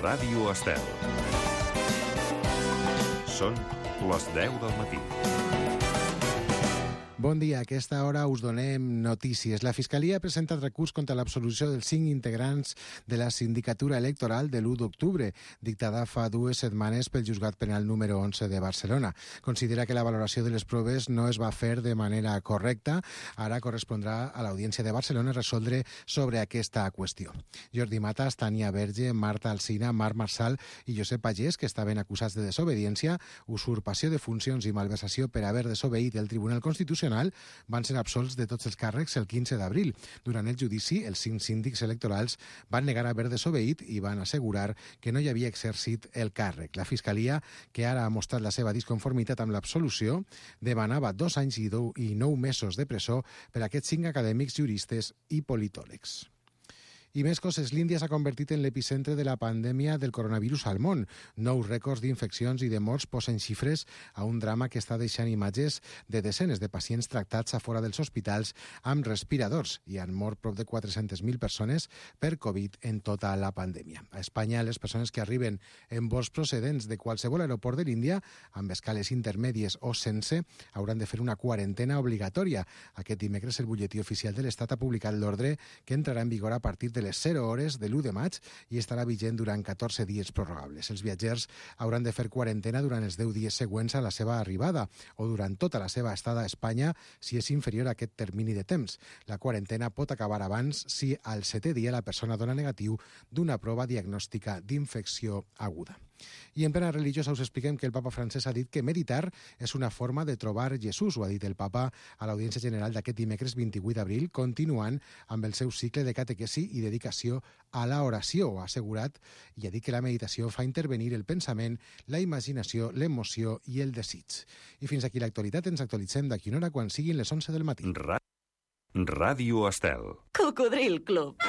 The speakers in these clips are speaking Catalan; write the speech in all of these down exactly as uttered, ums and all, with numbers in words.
Ràdio Estel. Són les deu del matí. Bon dia, a aquesta hora us donem notícies. La Fiscalia ha presentat recurs contra l'absolució dels cinc integrants de la sindicatura electoral de l'u d'octubre, dictada fa dues setmanes pel Juzgat Penal número onze de Barcelona. Considera que la valoració de les proves no es va fer de manera correcta. Ara correspondrà a l'Audiència de Barcelona resoldre sobre aquesta qüestió. Jordi Matas, Tània Verge, Marta Alsina, Marc Marsal i Josep Pagès, que estaven acusats de desobediència, usurpació de funcions i malversació per haver desobeït el Tribunal Constitucional, van ser absolts de tots els càrrecs el quinze d'abril. Durant el judici, els cinc síndics electorals van negar haver desobeït i van assegurar que no hi havia exercit el càrrec. La Fiscalia, que ara ha mostrat la seva disconformitat amb l'absolució, demanava dos anys i, dou, i nou mesos de presó per a aquests cinc acadèmics, juristes i politòlegs. I més coses, l'Índia s'ha convertit en l'epicentre de la pandèmia del coronavirus al món. Nous rècords d'infeccions i de morts posen xifres a un drama que està deixant imatges de desenes de pacients tractats a fora dels hospitals amb respiradors i han mort prop de quatre-centes mil persones per Covid en tota la pandèmia. A Espanya, les persones que arriben en vols procedents de qualsevol aeroport de l'Índia, amb escales intermèdies o sense, hauran de fer una quarantena obligatòria. Aquest dimecres el butlletí oficial de l'Estat ha publicat l'ordre que entrarà en vigor a partir de les zero hores de l'u de maig i estarà vigent durant catorze dies prorrogables. Els viatgers hauran de fer quarantena durant els deu dies següents a la seva arribada o durant tota la seva estada a Espanya si és inferior a aquest termini de temps. La quarantena pot acabar abans si al setè dia la persona dona negatiu d'una prova diagnòstica d'infecció aguda. I en plena religiosa us expliquem que el papa francès ha dit que meditar és una forma de trobar Jesús. Ho ha dit el papa a l'Audiència General d'aquest dimecres vint-i-vuit d'abril, continuant amb el seu cicle de catequesi i dedicació a la oració. Ha assegurat i ha dit que la meditació fa intervenir el pensament, la imaginació, l'emoció i el desig. I fins aquí l'actualitat. Ens actualitzem d'aquí una hora quan siguin les onze del matí. Ra- Ràdio Estel. Cocodril Club.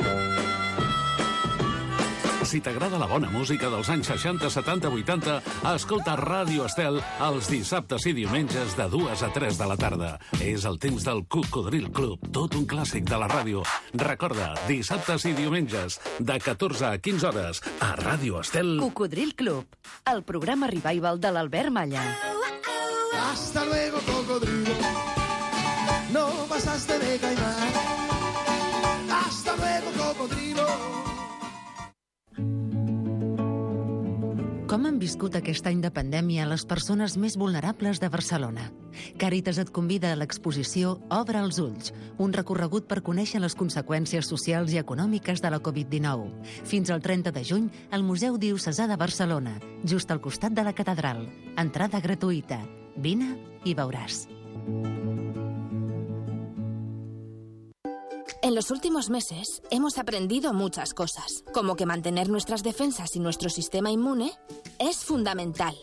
Si t'agrada la bona música dels anys seixanta, setanta, vuitanta, escolta Ràdio Estel els dissabtes i diumenges de dues a tres de la tarda. És el temps del Cocodril Club, tot un clàssic de la ràdio. Recorda, dissabtes i diumenges, de catorze a quinze hores, a Ràdio Estel. Cocodril Club, el programa revival de l'Albert Malla. Hasta luego, cocodrilo. No pasaste de caimán. Hasta luego, cocodrilo. Com han viscut aquest any de pandèmia les persones més vulnerables de Barcelona? Càritas et convida a l'exposició Obre els ulls, un recorregut per conèixer les conseqüències socials i econòmiques de la Covid dinou. Fins al trenta de juny, al Museu Diocesà de Barcelona, just al costat de la catedral. Entrada gratuïta. Vine i veuràs. En los últimos meses hemos aprendido muchas cosas, como que mantener nuestras defensas y nuestro sistema inmune es fundamental.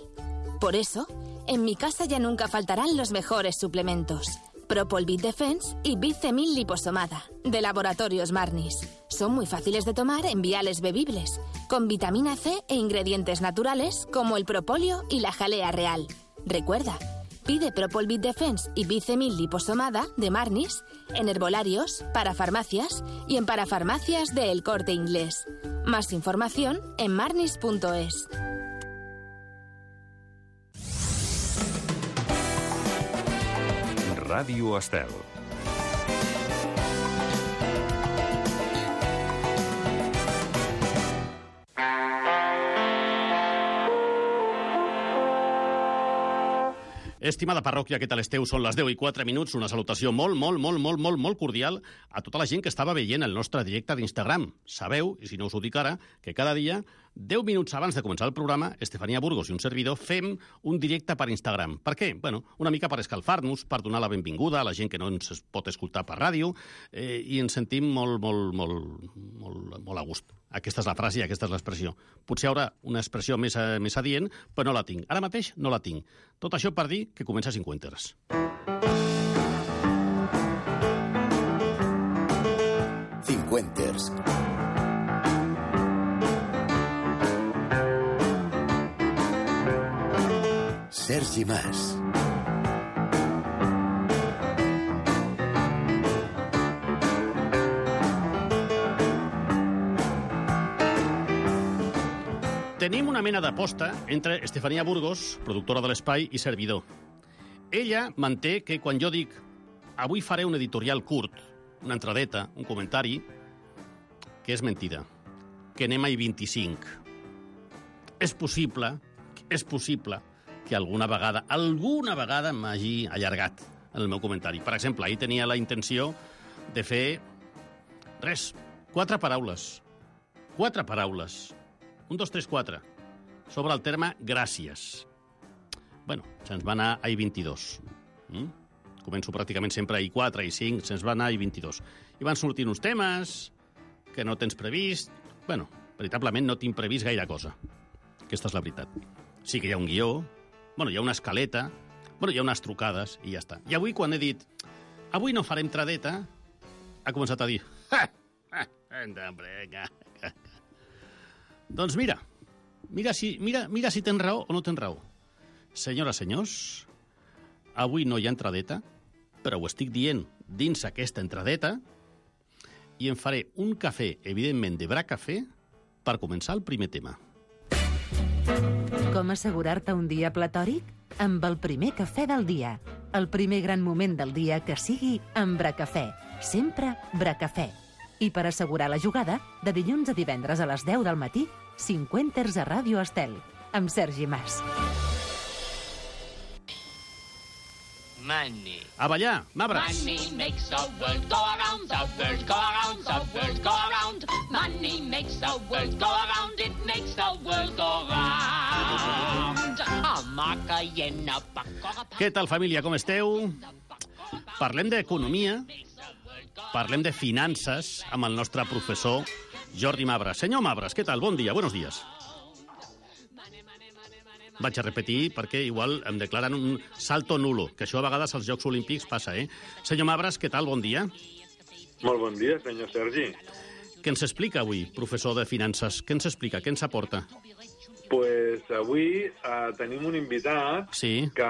Por eso, en mi casa ya nunca faltarán los mejores suplementos. Propol-Bit Defense y Bicemil Liposomada, de Laboratorios Marnis. Son muy fáciles de tomar en viales bebibles, con vitamina C e ingredientes naturales como el propóleo y la jalea real. Recuerda, pide Propol-Bit Defense y Bicemil Liposomada de Marnis en herbolarios, parafarmacias y en parafarmacias de El Corte Inglés. Más información en marnis punto es. Ràdio Estel. Estimada parròquia, què tal esteu? Són les deu i quatre minuts. Una salutació molt, molt, molt, molt, molt, molt cordial a tota la gent que estava veient el nostre directe d'Instagram. Sabeu, i si no us ho dic ara, que cada dia, deu minuts abans de començar el programa, Estefania Burgos i un servidor fem un directe per Instagram. Per què? Bueno, una mica per escalfar-nos, per donar la benvinguda a la gent que no ens pot escoltar per ràdio, eh, i ens sentim molt, molt, molt, molt, molt a gust. Aquesta és la frase i aquesta és l'expressió. Potser hi haurà una expressió més, més adient, però no la tinc. Ara mateix no la tinc. Tot això per dir que comença Cinquenters. Cinquenters. Sergi Mas. Tenim una mena d'aposta entre Estefania Burgos, productora de l'Espai, i servidor. Ella manté que quan jo dic avui faré un editorial curt, una entradeta, un comentari, que és mentida, que anem a I vint-i-cinc. És possible, és possible que alguna vegada, alguna vegada m'hagi allargat en el meu comentari. Per exemple, ahir tenia la intenció de fer res, quatre paraules. Quatre paraules. Un, dos, tres, quatre. Sobre el terme gràcies. Bueno, se'ns va anar a I vint-i-dos. Mm? Començo pràcticament sempre a I quatre, I cinc, se'ns va anar a I vint-i-dos. I van sortir uns temes que no tens previst. Bueno, veritablement no tinc previst gaire cosa. Aquesta és la veritat. Sí que hi ha un guió, bueno, hi ha una escaleta, bueno, hi ha unes trucades i ja està. I avui, quan he dit avui no farem tradeta, ha començat a dir ha, ha, ha, doncs mira, mira si, mira, mira si tens raó o no tens raó. Senyores, senyors, avui no hi ha entradeta, però ho estic dient dins aquesta entradeta i em faré un cafè, evidentment, de Bracafè, per començar el primer tema. Com assegurar-te un dia platòric? Amb el primer cafè del dia. El primer gran moment del dia que sigui amb Bracafè. Sempre Bracafè. I per assegurar la jugada, de dilluns a divendres a les deu del matí, cinquanters a Ràdio Estel, amb Sergi Mas. Money. A ballar, Mabras. Money makes the world go around, the world go around, the world go around. Money makes the world go around, it makes the world go round. A maca i en a paco... Què tal, família, com esteu? Parlem d'economia, parlem de finances amb el nostre professor Jordi Mabras. Senyor Mabras, què tal? Bon dia, buenos días. Vaig a repetir perquè igual em declaren un salto nulo, que això a vegades als Jocs Olímpics passa, eh? Senyor Mabras, què tal? Bon dia. Molt bon dia, senyor Sergi. Què ens explica avui, professor de finances? Què ens explica? Què ens aporta? Pues avui uh, tenim un invitat sí. que,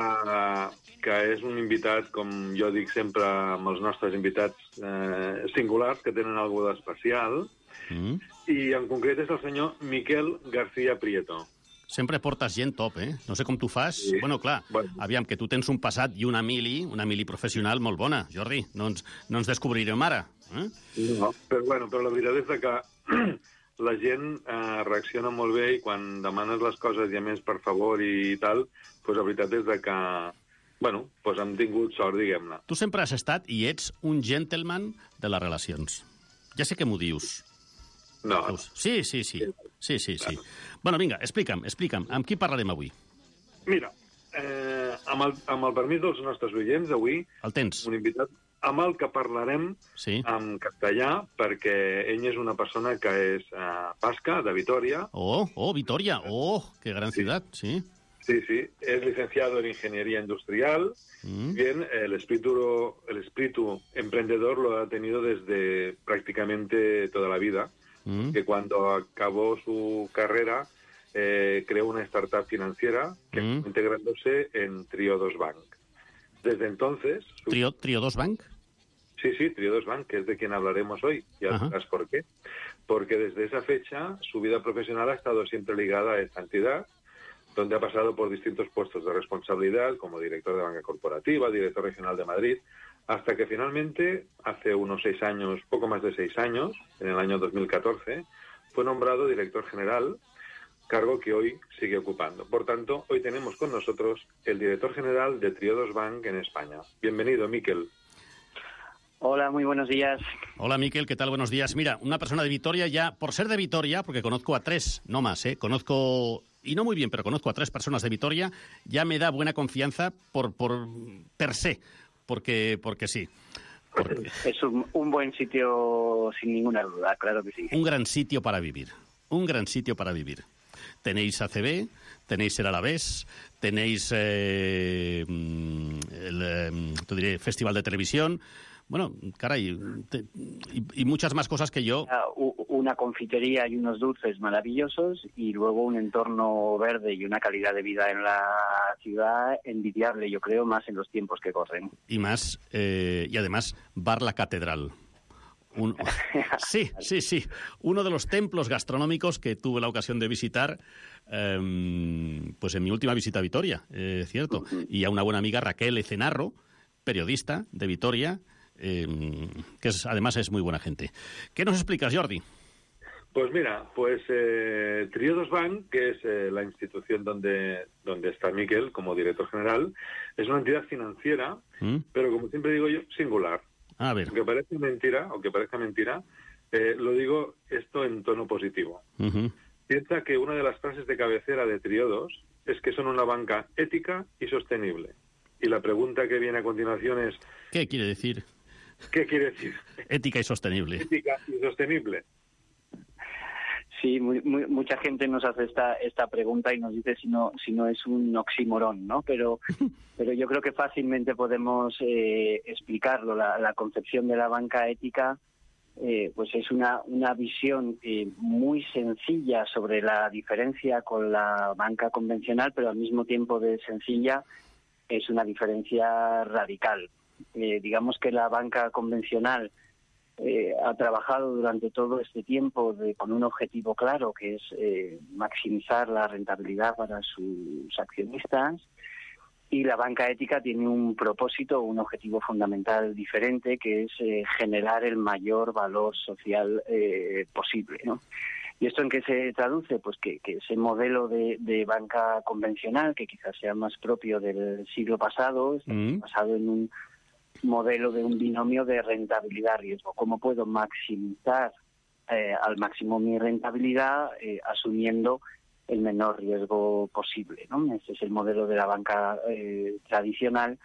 que és un invitat, com jo dic sempre amb els nostres invitats eh, singulars, que tenen alguna d'especial, mm. i en concret és el senyor Miquel García Prieto. Sempre portes gent top, eh? No sé com tu fas. Sí. Bueno, clar, bueno. Aviam, que tu tens un passat i una mili, una mili professional molt bona, Jordi. No ens, no ens descobrirem ara. Eh? No, però, bueno, però la veritat és que la gent eh, reacciona molt bé i quan demanes les coses i a més per favor i tal, doncs la veritat és que, bueno, doncs hem tingut sort, diguem-ne. Tu sempre has estat i ets un gentleman de les relacions. Ja sé que m'ho dius. No. Sí, sí, sí. Sí, sí, sí. Bueno, vinga, explica'm, explica'm. Amb qui parlarem avui? Mira, eh, amb, el, amb el permís dels nostres oients, avui... El tens. Un invitat amb el que parlarem sí. en castellà, perquè ell és una persona que és eh, basca, de Vitoria. Oh, oh, Vitoria. Oh, qué gran sí. ciudad, sí. Sí, sí. Es licenciado en Ingeniería Industrial. Mm. Bien, el espíritu, el espíritu emprendedor lo ha tenido desde prácticamente toda la vida. Mm. Que cuando acabó su carrera eh, creó una startup financiera que mm. integrándose en Triodos Bank. Desde entonces... Su... ¿Trio, ¿Triodos Bank? Sí, sí, Triodos Bank, que es de quien hablaremos hoy. Ya verás por qué. Porque desde esa fecha su vida profesional ha estado siempre ligada a esta entidad, donde ha pasado por distintos puestos de responsabilidad, como director de banca corporativa, director regional de Madrid, hasta que finalmente, hace unos seis años, poco más de seis años, en el año dos mil catorce, fue nombrado director general, cargo que hoy sigue ocupando. Por tanto, hoy tenemos con nosotros el director general de Triodos Bank en España. Bienvenido, Miquel. Hola, muy buenos días. Hola, Miquel, ¿qué tal? Buenos días. Mira, una persona de Vitoria ya, por ser de Vitoria, porque conozco a tres, no más, ¿eh? Conozco, y no muy bien, pero conozco a tres personas de Vitoria, ya me da buena confianza por, por per se. Porque, porque sí. Porque... Es un, un buen sitio, sin ninguna duda, claro que sí. Un gran sitio para vivir. Un gran sitio para vivir. Tenéis A C B, tenéis el Alavés, tenéis eh, el eh, te diré, Festival de Televisión. Bueno, caray, te, y, y muchas más cosas que yo... Una confitería y unos dulces maravillosos y luego un entorno verde y una calidad de vida en la ciudad envidiable, yo creo, más en los tiempos que corren. Y más, eh, y además, Bar La Catedral. Un... Sí, sí, sí. Uno de los templos gastronómicos que tuve la ocasión de visitar eh, pues en mi última visita a Vitoria, eh, cierto. Y a una buena amiga, Raquel Ecenarro, periodista de Vitoria, eh, que es, además es muy buena gente. ¿Qué nos explicas, Jordi? Pues mira, pues eh, Triodos Bank, que es eh, la institución donde, donde está Miquel como director general, es una entidad financiera, ¿Mm? pero como siempre digo yo, singular. A ver. Aunque parezca mentira, aunque parezca mentira, eh, lo digo esto en tono positivo. Uh-huh. Piensa que una de las frases de cabecera de Triodos es que son una banca ética y sostenible. Y la pregunta que viene a continuación es... ¿Qué quiere decir? ¿Qué quiere decir? Ética y sostenible. Ética y sostenible. Sí, muy, muy, mucha gente nos hace esta esta pregunta y nos dice si no si no es un oxímoron, ¿no? Pero pero yo creo que fácilmente podemos eh, explicarlo. La, la concepción de la banca ética eh, pues es una una visión eh, muy sencilla sobre la diferencia con la banca convencional, pero al mismo tiempo de sencilla es una diferencia radical. Eh, digamos que la banca convencional Eh, ha trabajado durante todo este tiempo de, con un objetivo claro, que es eh, maximizar la rentabilidad para sus accionistas, y la banca ética tiene un propósito, un objetivo fundamental diferente, que es eh, generar el mayor valor social eh, posible, ¿no? ¿Y esto en qué se traduce? Pues que, que ese modelo de, de banca convencional, que quizás sea más propio del siglo pasado, está mm. basado en un modelo de un binomio de rentabilidad-riesgo. ¿Cómo puedo maximizar eh, al máximo mi rentabilidad eh, asumiendo el menor riesgo posible, ¿no? Ese es el modelo de la banca eh, tradicional.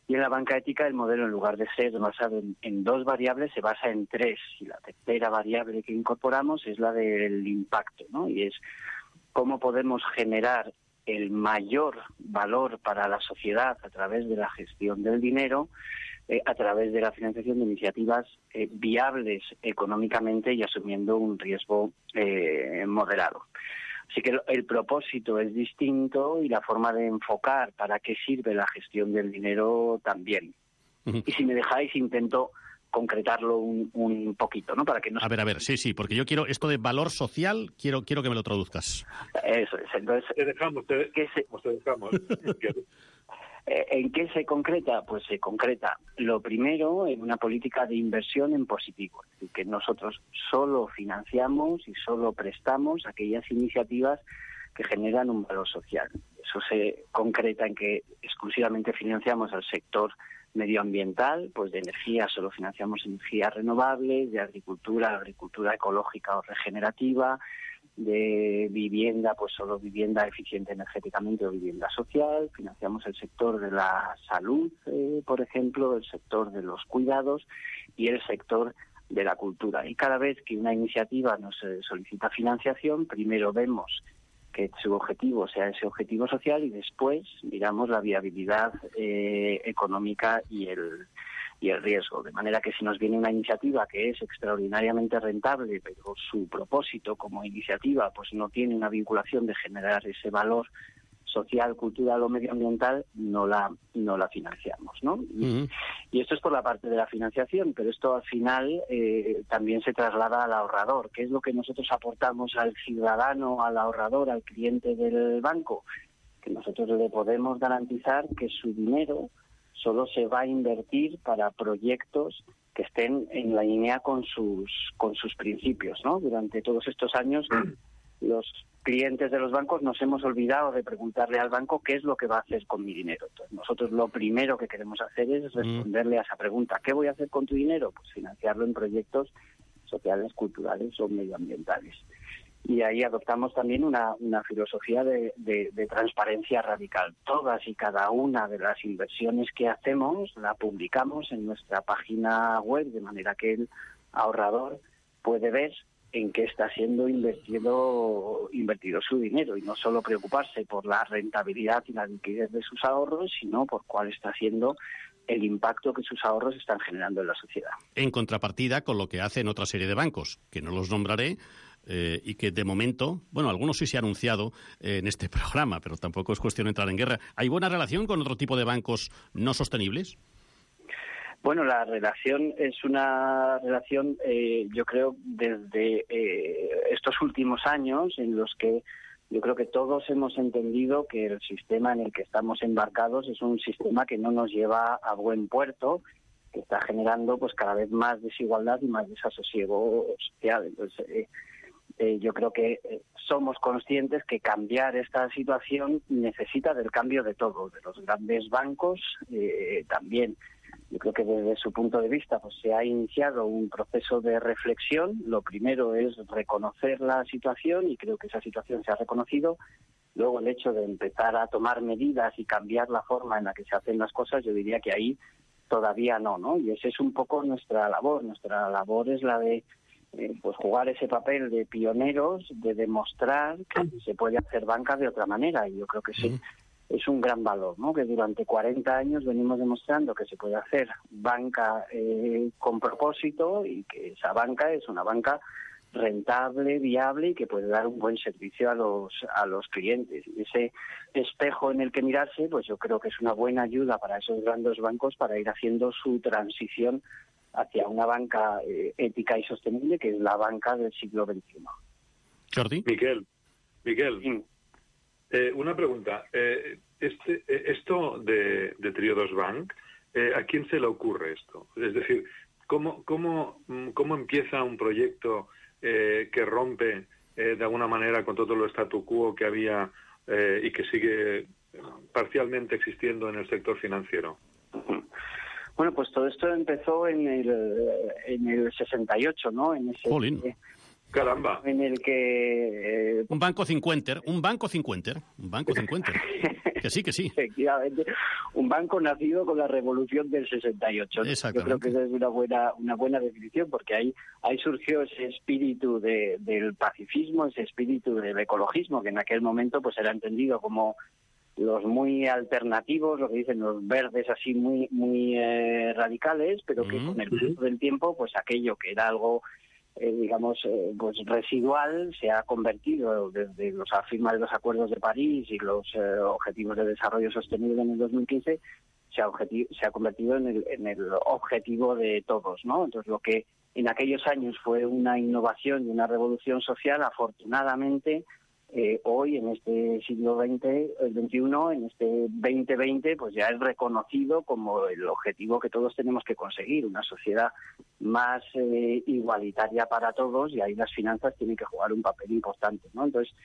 Y en la banca ética el modelo, en lugar de ser basado en, en dos variables, se basa en tres. Y la tercera variable que incorporamos es la del impacto, ¿no? Y es cómo podemos generar el mayor valor para la sociedad a través de la gestión del dinero, Eh, a través de la financiación de iniciativas eh, viables económicamente y asumiendo un riesgo eh, moderado. Así que el, el propósito es distinto y la forma de enfocar para qué sirve la gestión del dinero también. Uh-huh. Y si me dejáis, intento concretarlo un, un poquito, ¿no? Para que no a ver, a ver, sí, sí, porque yo quiero esto de valor social, quiero quiero que me lo traduzcas. Eso es, entonces... Te dejamos, te, ¿qué se... te dejamos. ¿En qué se concreta? Pues se concreta, lo primero, en una política de inversión en positivo. Es decir, que nosotros solo financiamos y solo prestamos aquellas iniciativas que generan un valor social. Eso se concreta en que exclusivamente financiamos al sector medioambiental, pues de energía solo financiamos energías renovables, de agricultura, agricultura ecológica o regenerativa, de vivienda, pues solo vivienda eficiente energéticamente o vivienda social. Financiamos el sector de la salud, eh, por ejemplo, el sector de los cuidados y el sector de la cultura. Y cada vez que una iniciativa nos eh, solicita financiación, primero vemos que su objetivo sea ese objetivo social y después miramos la viabilidad eh, económica y el y el riesgo, de manera que si nos viene una iniciativa que es extraordinariamente rentable, pero su propósito como iniciativa pues no tiene una vinculación de generar ese valor social, cultural o medioambiental, no la no la financiamos, ¿no? Uh-huh. Y, y esto es por la parte de la financiación, pero esto al final eh, también se traslada al ahorrador. ¿Qué es lo que nosotros aportamos al ciudadano, al ahorrador, al cliente del banco? Que nosotros le podemos garantizar que su dinero solo se va a invertir para proyectos que estén en la línea con sus con sus principios, ¿no? Durante todos estos años, los clientes de los bancos nos hemos olvidado de preguntarle al banco qué es lo que va a hacer con mi dinero. Entonces, nosotros lo primero que queremos hacer es responderle a esa pregunta. ¿Qué voy a hacer con tu dinero? Pues financiarlo en proyectos sociales, culturales o medioambientales. Y ahí adoptamos también una, una filosofía de, de, de transparencia radical. Todas y cada una de las inversiones que hacemos la publicamos en nuestra página web, de manera que el ahorrador puede ver en qué está siendo invertido, invertido su dinero y no solo preocuparse por la rentabilidad y la liquidez de sus ahorros, sino por cuál está siendo el impacto que sus ahorros están generando en la sociedad. En contrapartida con lo que hacen otra serie de bancos, que no los nombraré, Eh, y que de momento, bueno, algunos sí se ha anunciado eh, en este programa, pero tampoco es cuestión de entrar en guerra. ¿Hay buena relación con otro tipo de bancos no sostenibles? Bueno, la relación es una relación, eh, yo creo, desde eh, estos últimos años en los que yo creo que todos hemos entendido que el sistema en el que estamos embarcados es un sistema que no nos lleva a buen puerto, que está generando pues cada vez más desigualdad y más desasosiego social. Entonces, eh, eh, yo creo que eh, somos conscientes que cambiar esta situación necesita del cambio de todo, de los grandes bancos eh, también. Yo creo que desde su punto de vista pues se ha iniciado un proceso de reflexión. Lo primero es reconocer la situación y creo que esa situación se ha reconocido. Luego el hecho de empezar a tomar medidas y cambiar la forma en la que se hacen las cosas, yo diría que ahí todavía no, ¿no? Y ese es un poco nuestra labor. Nuestra labor es la de eh, pues jugar ese papel de pioneros, de demostrar que se puede hacer banca de otra manera. Y yo creo que sí. Es un gran valor, ¿no? Que durante cuarenta años venimos demostrando que se puede hacer banca eh, con propósito y que esa banca es una banca rentable, viable y que puede dar un buen servicio a los a los clientes. Y ese espejo en el que mirarse, pues yo creo que es una buena ayuda para esos grandes bancos para ir haciendo su transición hacia una banca eh, ética y sostenible, que es la banca del siglo veintiuno. Jordi. Miquel, Miquel. Sí. Eh, una pregunta. Eh, este, eh, esto de, de Triodos Bank, eh, ¿a quién se le ocurre esto? Es decir, ¿cómo, cómo, cómo empieza un proyecto eh, que rompe eh, de alguna manera con todo lo statu quo que había eh, y que sigue parcialmente existiendo en el sector financiero? Bueno, pues todo esto empezó en el, en el sesenta y ocho, ¿no? En ese, Jolín. Caramba. En el que... Eh, un banco cincuenter, un banco cincuenter, un banco cincuenter. Que sí, que sí. Efectivamente, un banco nacido con la revolución del sesenta y ocho. ¿no? Yo creo que esa es una buena una buena definición, porque ahí ahí surgió ese espíritu de, del pacifismo, ese espíritu del ecologismo, que en aquel momento pues era entendido como los muy alternativos, lo que dicen los verdes así muy muy eh, radicales, pero que mm-hmm. con el paso del tiempo pues aquello que era algo Eh, digamos, eh, pues residual, se ha convertido desde los firma de los acuerdos de París y los eh, objetivos de desarrollo sostenible en el dos mil quince, se ha, objeti- se ha convertido en el, en el objetivo de todos, ¿no? Entonces, lo que en aquellos años fue una innovación y una revolución social, afortunadamente, eh, hoy, en este siglo veinte, el veintiuno, en este veinte veinte, pues ya es reconocido como el objetivo que todos tenemos que conseguir, una sociedad más eh, igualitaria para todos, y ahí las finanzas tienen que jugar un papel importante, ¿no? Entonces,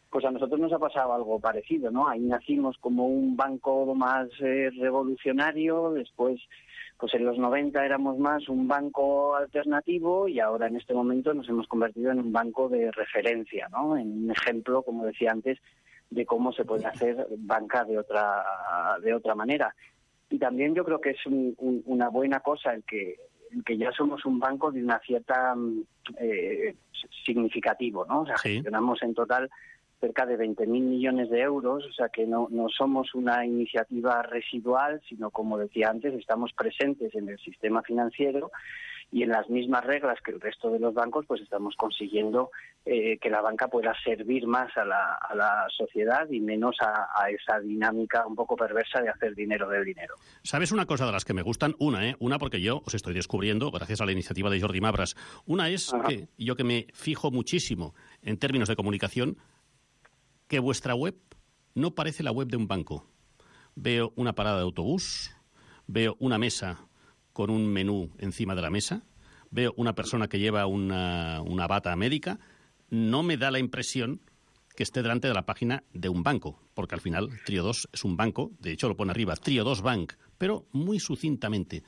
pues a nosotros nos ha pasado algo parecido, ¿no? Ahí nacimos como un banco más eh, revolucionario, después, pues en los noventa éramos más un banco alternativo y ahora en este momento nos hemos convertido en un banco de referencia, ¿no? En un ejemplo, como decía antes, de cómo se puede hacer banca de otra de otra manera. Y también yo creo que es un, un, una buena cosa el que el que ya somos un banco de una cierta eh, significativo, ¿no? O sea, sí. Gestionamos en total cerca de veinte mil millones de euros, o sea que no, no somos una iniciativa residual, sino, como decía antes, estamos presentes en el sistema financiero y en las mismas reglas que el resto de los bancos, pues estamos consiguiendo eh, que la banca pueda servir más a la, a la sociedad y menos a, a esa dinámica un poco perversa de hacer dinero del dinero. ¿Sabes una cosa de las que me gustan? Una, ¿eh? Una porque yo os estoy descubriendo, gracias a la iniciativa de Jordi Mabras. Una es Ajá. que yo que me fijo muchísimo en términos de comunicación, que vuestra web no parece la web de un banco. Veo una parada de autobús, veo una mesa con un menú encima de la mesa, veo una persona que lleva una, una bata médica. No me da la impresión que esté delante de la página de un banco, porque al final Triodos es un banco, de hecho lo pone arriba, Triodos Bank, pero muy sucintamente.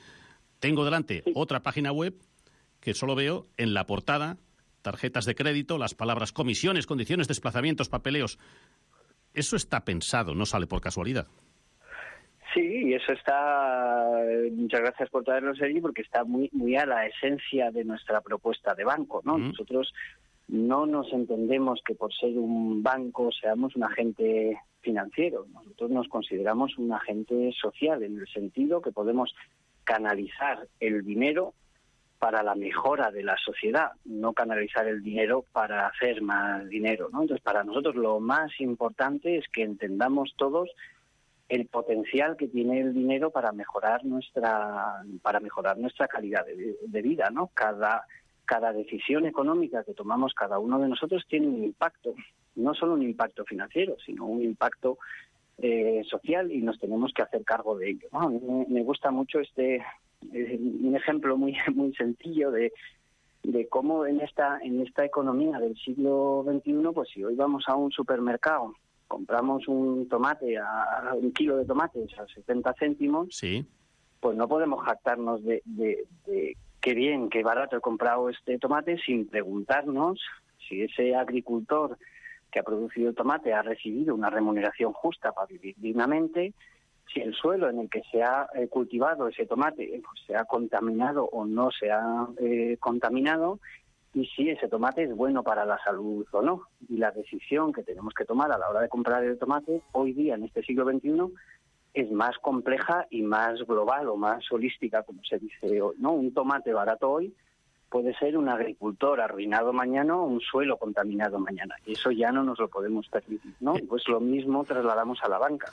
Tengo delante otra página web que solo veo en la portada tarjetas de crédito, las palabras comisiones, condiciones, desplazamientos, papeleos. Eso está pensado, no sale por casualidad. Sí, y eso está, muchas gracias por traerlo allí, porque está muy muy a la esencia de nuestra propuesta de banco, ¿no? Mm. Nosotros no nos entendemos que por ser un banco seamos un agente financiero. Nosotros nos consideramos un agente social, en el sentido que podemos canalizar el dinero para la mejora de la sociedad, no canalizar el dinero para hacer más dinero, ¿no? Entonces, para nosotros lo más importante es que entendamos todos el potencial que tiene el dinero para mejorar nuestra para mejorar nuestra calidad de, de vida, ¿no? Cada cada decisión económica que tomamos cada uno de nosotros tiene un impacto, no solo un impacto financiero, sino un impacto eh, social, y nos tenemos que hacer cargo de ello, ¿no? A mí me, me gusta mucho este eh, un ejemplo muy muy sencillo de de cómo en esta en esta economía del siglo veintiuno, pues si hoy vamos a un supermercado, compramos un tomate, a, un kilo de tomates a setenta céntimos, sí, pues no podemos jactarnos de, de, de qué bien, qué barato he comprado este tomate, sin preguntarnos si ese agricultor que ha producido el tomate ha recibido una remuneración justa para vivir dignamente, si el suelo en el que se ha eh, cultivado ese tomate pues, se ha contaminado o no se ha eh, contaminado, y si ese tomate es bueno para la salud o no. Y la decisión que tenemos que tomar a la hora de comprar el tomate hoy día, en este siglo veintiuno, es más compleja y más global o más holística, como se dice hoy, ¿no? Un tomate barato hoy puede ser un agricultor arruinado mañana o un suelo contaminado mañana. Y eso ya no nos lo podemos permitir, ¿no? Pues lo mismo trasladamos a la banca.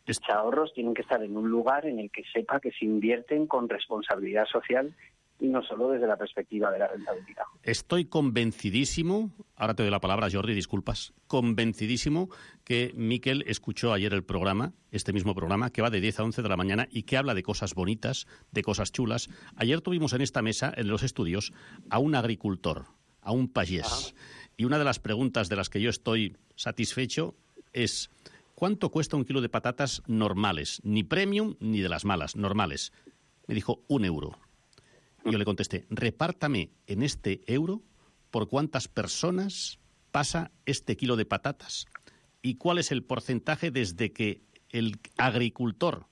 Los ahorros tienen que estar en un lugar en el que sepa que se invierten con responsabilidad social y no solo desde la perspectiva de la rentabilidad. Estoy convencidísimo, ahora te doy la palabra, Jordi, disculpas, convencidísimo que Miquel escuchó ayer el programa, este mismo programa, que va de diez a once de la mañana y que habla de cosas bonitas, de cosas chulas. Ayer tuvimos en esta mesa, en los estudios, a un agricultor, a un payés. Ajá. Y una de las preguntas de las que yo estoy satisfecho es: ¿cuánto cuesta un kilo de patatas normales? Ni premium ni de las malas, normales. Me dijo, un euro. Y yo le contesté, repártame en este euro por cuántas personas pasa este kilo de patatas y cuál es el porcentaje desde que el agricultor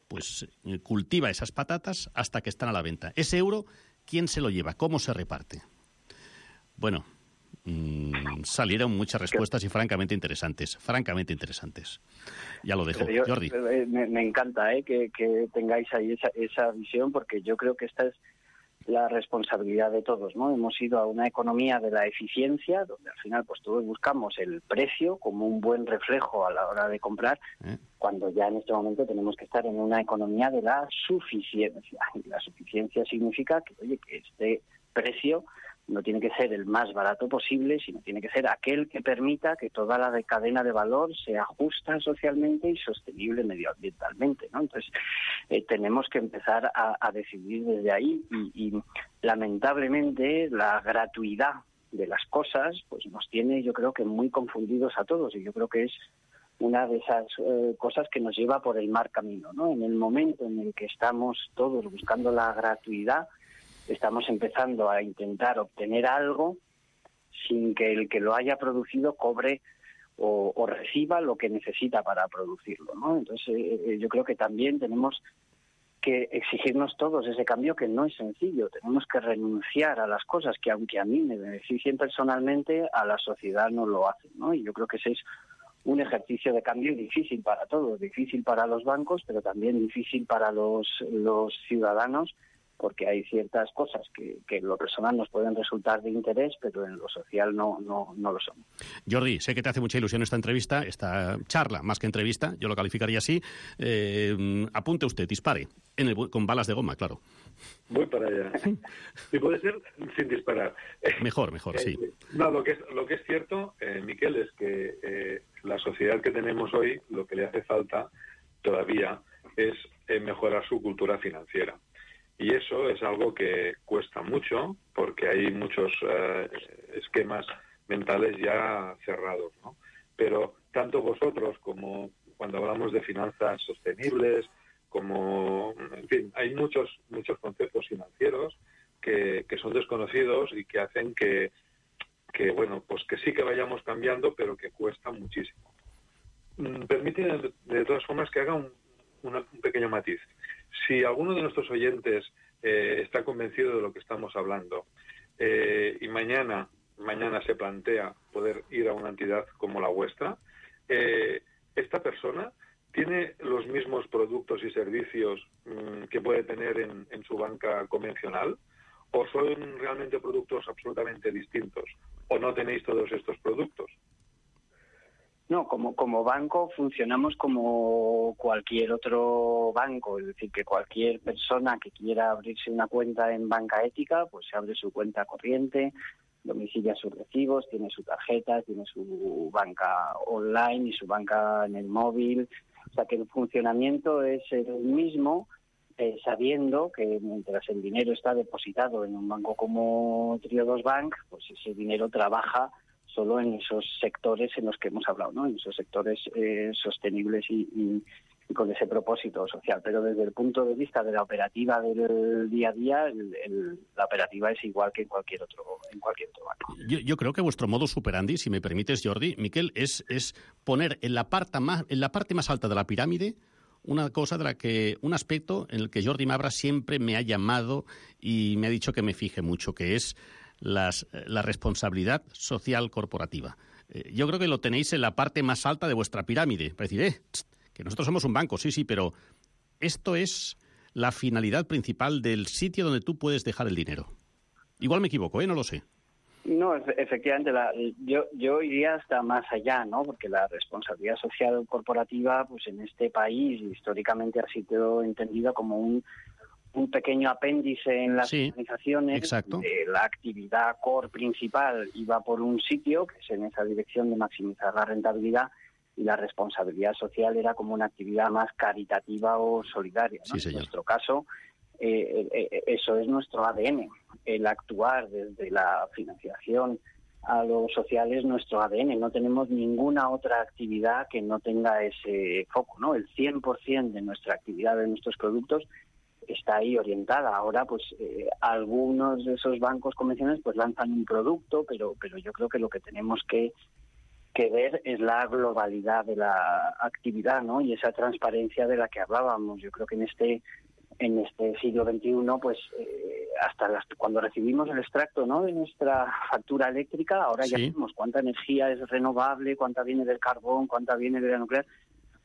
pues cultiva esas patatas hasta que están a la venta. Ese euro, ¿quién se lo lleva? ¿Cómo se reparte? Bueno, mmm, salieron muchas respuestas y francamente interesantes, francamente interesantes. Ya lo dejo, yo, Jordi. Me, me encanta ¿eh? que, que tengáis ahí esa, esa visión, porque yo creo que esta es la responsabilidad de todos, ¿no? Hemos ido a una economía de la eficiencia, donde al final pues todos buscamos el precio como un buen reflejo a la hora de comprar, ¿Eh? cuando ya en este momento tenemos que estar en una economía de la suficiencia. Y la suficiencia significa que, oye, que este precio no tiene que ser el más barato posible, sino tiene que ser aquel que permita que toda la cadena de valor sea justa socialmente y sostenible medioambientalmente, ¿no? Entonces, eh, tenemos que empezar a, a decidir desde ahí y, y, lamentablemente, la gratuidad de las cosas pues nos tiene, yo creo que, muy confundidos a todos, y yo creo que es una de esas eh, cosas que nos lleva por el mal camino, ¿no? En el momento en el que estamos todos buscando la gratuidad, estamos empezando a intentar obtener algo sin que el que lo haya producido cobre o, o reciba lo que necesita para producirlo, ¿no? Entonces, eh, yo creo que también tenemos que exigirnos todos ese cambio, que no es sencillo. Tenemos que renunciar a las cosas que, aunque a mí me beneficien personalmente, a la sociedad no lo hacen, ¿no? Y yo creo que ese es un ejercicio de cambio difícil para todos, difícil para los bancos, pero también difícil para los, los ciudadanos, porque hay ciertas cosas que, que en lo personal nos pueden resultar de interés, pero en lo social no, no, no lo son. Jordi, sé que te hace mucha ilusión esta entrevista, esta charla, más que entrevista, yo lo calificaría así. Eh, apunte usted, dispare, en el, con balas de goma, claro. Voy para allá. Y puede ser sin disparar. Mejor, mejor, sí. Eh, no, lo que es, lo que es cierto, eh, Miquel, es que eh, la sociedad que tenemos hoy, lo que le hace falta todavía es eh, mejorar su cultura financiera. Y eso es algo que cuesta mucho, porque hay muchos eh, esquemas mentales ya cerrados, ¿no? Pero tanto vosotros como cuando hablamos de finanzas sostenibles, como, en fin, hay muchos muchos conceptos financieros que, que son desconocidos y que hacen que, que, bueno, pues que sí que vayamos cambiando, pero que cuesta muchísimo. Permíteme, de, de todas formas, que haga un, una, un pequeño matiz. Si alguno de nuestros oyentes eh, está convencido de lo que estamos hablando eh, y mañana mañana se plantea poder ir a una entidad como la vuestra, eh, esta persona tiene los mismos productos y servicios mmm, que puede tener en, en su banca convencional, o son realmente productos absolutamente distintos, o no tenéis todos estos productos. No, como, como banco funcionamos como cualquier otro banco, es decir, que cualquier persona que quiera abrirse una cuenta en Banca Ética, pues se abre su cuenta corriente, domicilia sus recibos, tiene su tarjeta, tiene su banca online y su banca en el móvil. O sea que el funcionamiento es el mismo, eh, sabiendo que mientras el dinero está depositado en un banco como Triodos Bank, pues ese dinero trabaja solo en esos sectores en los que hemos hablado, ¿no? En esos sectores eh, sostenibles y, y, y con ese propósito social. Pero desde el punto de vista de la operativa del día a día, el, el, la operativa es igual que en cualquier otro en cualquier otro banco. Yo, yo creo que vuestro modus operandi, si me permites, Jordi, Miquel, es, es poner en la, parte más, en la parte más alta de la pirámide una cosa de la que, un aspecto en el que Jordi Mabras siempre me ha llamado y me ha dicho que me fije mucho, que es Las, la responsabilidad social corporativa. Eh, yo creo que lo tenéis en la parte más alta de vuestra pirámide. Para decir, eh, tst, que nosotros somos un banco, sí, sí, pero esto es la finalidad principal del sitio donde tú puedes dejar el dinero. Igual me equivoco, ¿eh? No lo sé. No, efectivamente, la, yo, yo iría hasta más allá, ¿no? Porque la responsabilidad social corporativa, pues en este país, históricamente ha sido entendida como un un pequeño apéndice en las sí, organizaciones. Exacto. Eh, la actividad core principal iba por un sitio, que es en esa dirección de maximizar la rentabilidad, y la responsabilidad social era como una actividad más caritativa o solidaria, ¿no? Sí, en nuestro caso, eh, eh, eso es nuestro A D N. El actuar desde la financiación a lo social es nuestro A D N. No tenemos ninguna otra actividad que no tenga ese foco, ¿no? El cien por ciento de nuestra actividad, de nuestros productos, está ahí orientada. Ahora, pues, eh, algunos de esos bancos convencionales pues lanzan un producto, pero pero yo creo que lo que tenemos que, que ver es la globalidad de la actividad, ¿no? Y esa transparencia de la que hablábamos. Yo creo que en este en este siglo veintiuno, pues, eh, hasta las, cuando recibimos el extracto, ¿no?, de nuestra factura eléctrica, ahora sí. ya sabemos cuánta energía es renovable, cuánta viene del carbón, cuánta viene de la nuclear.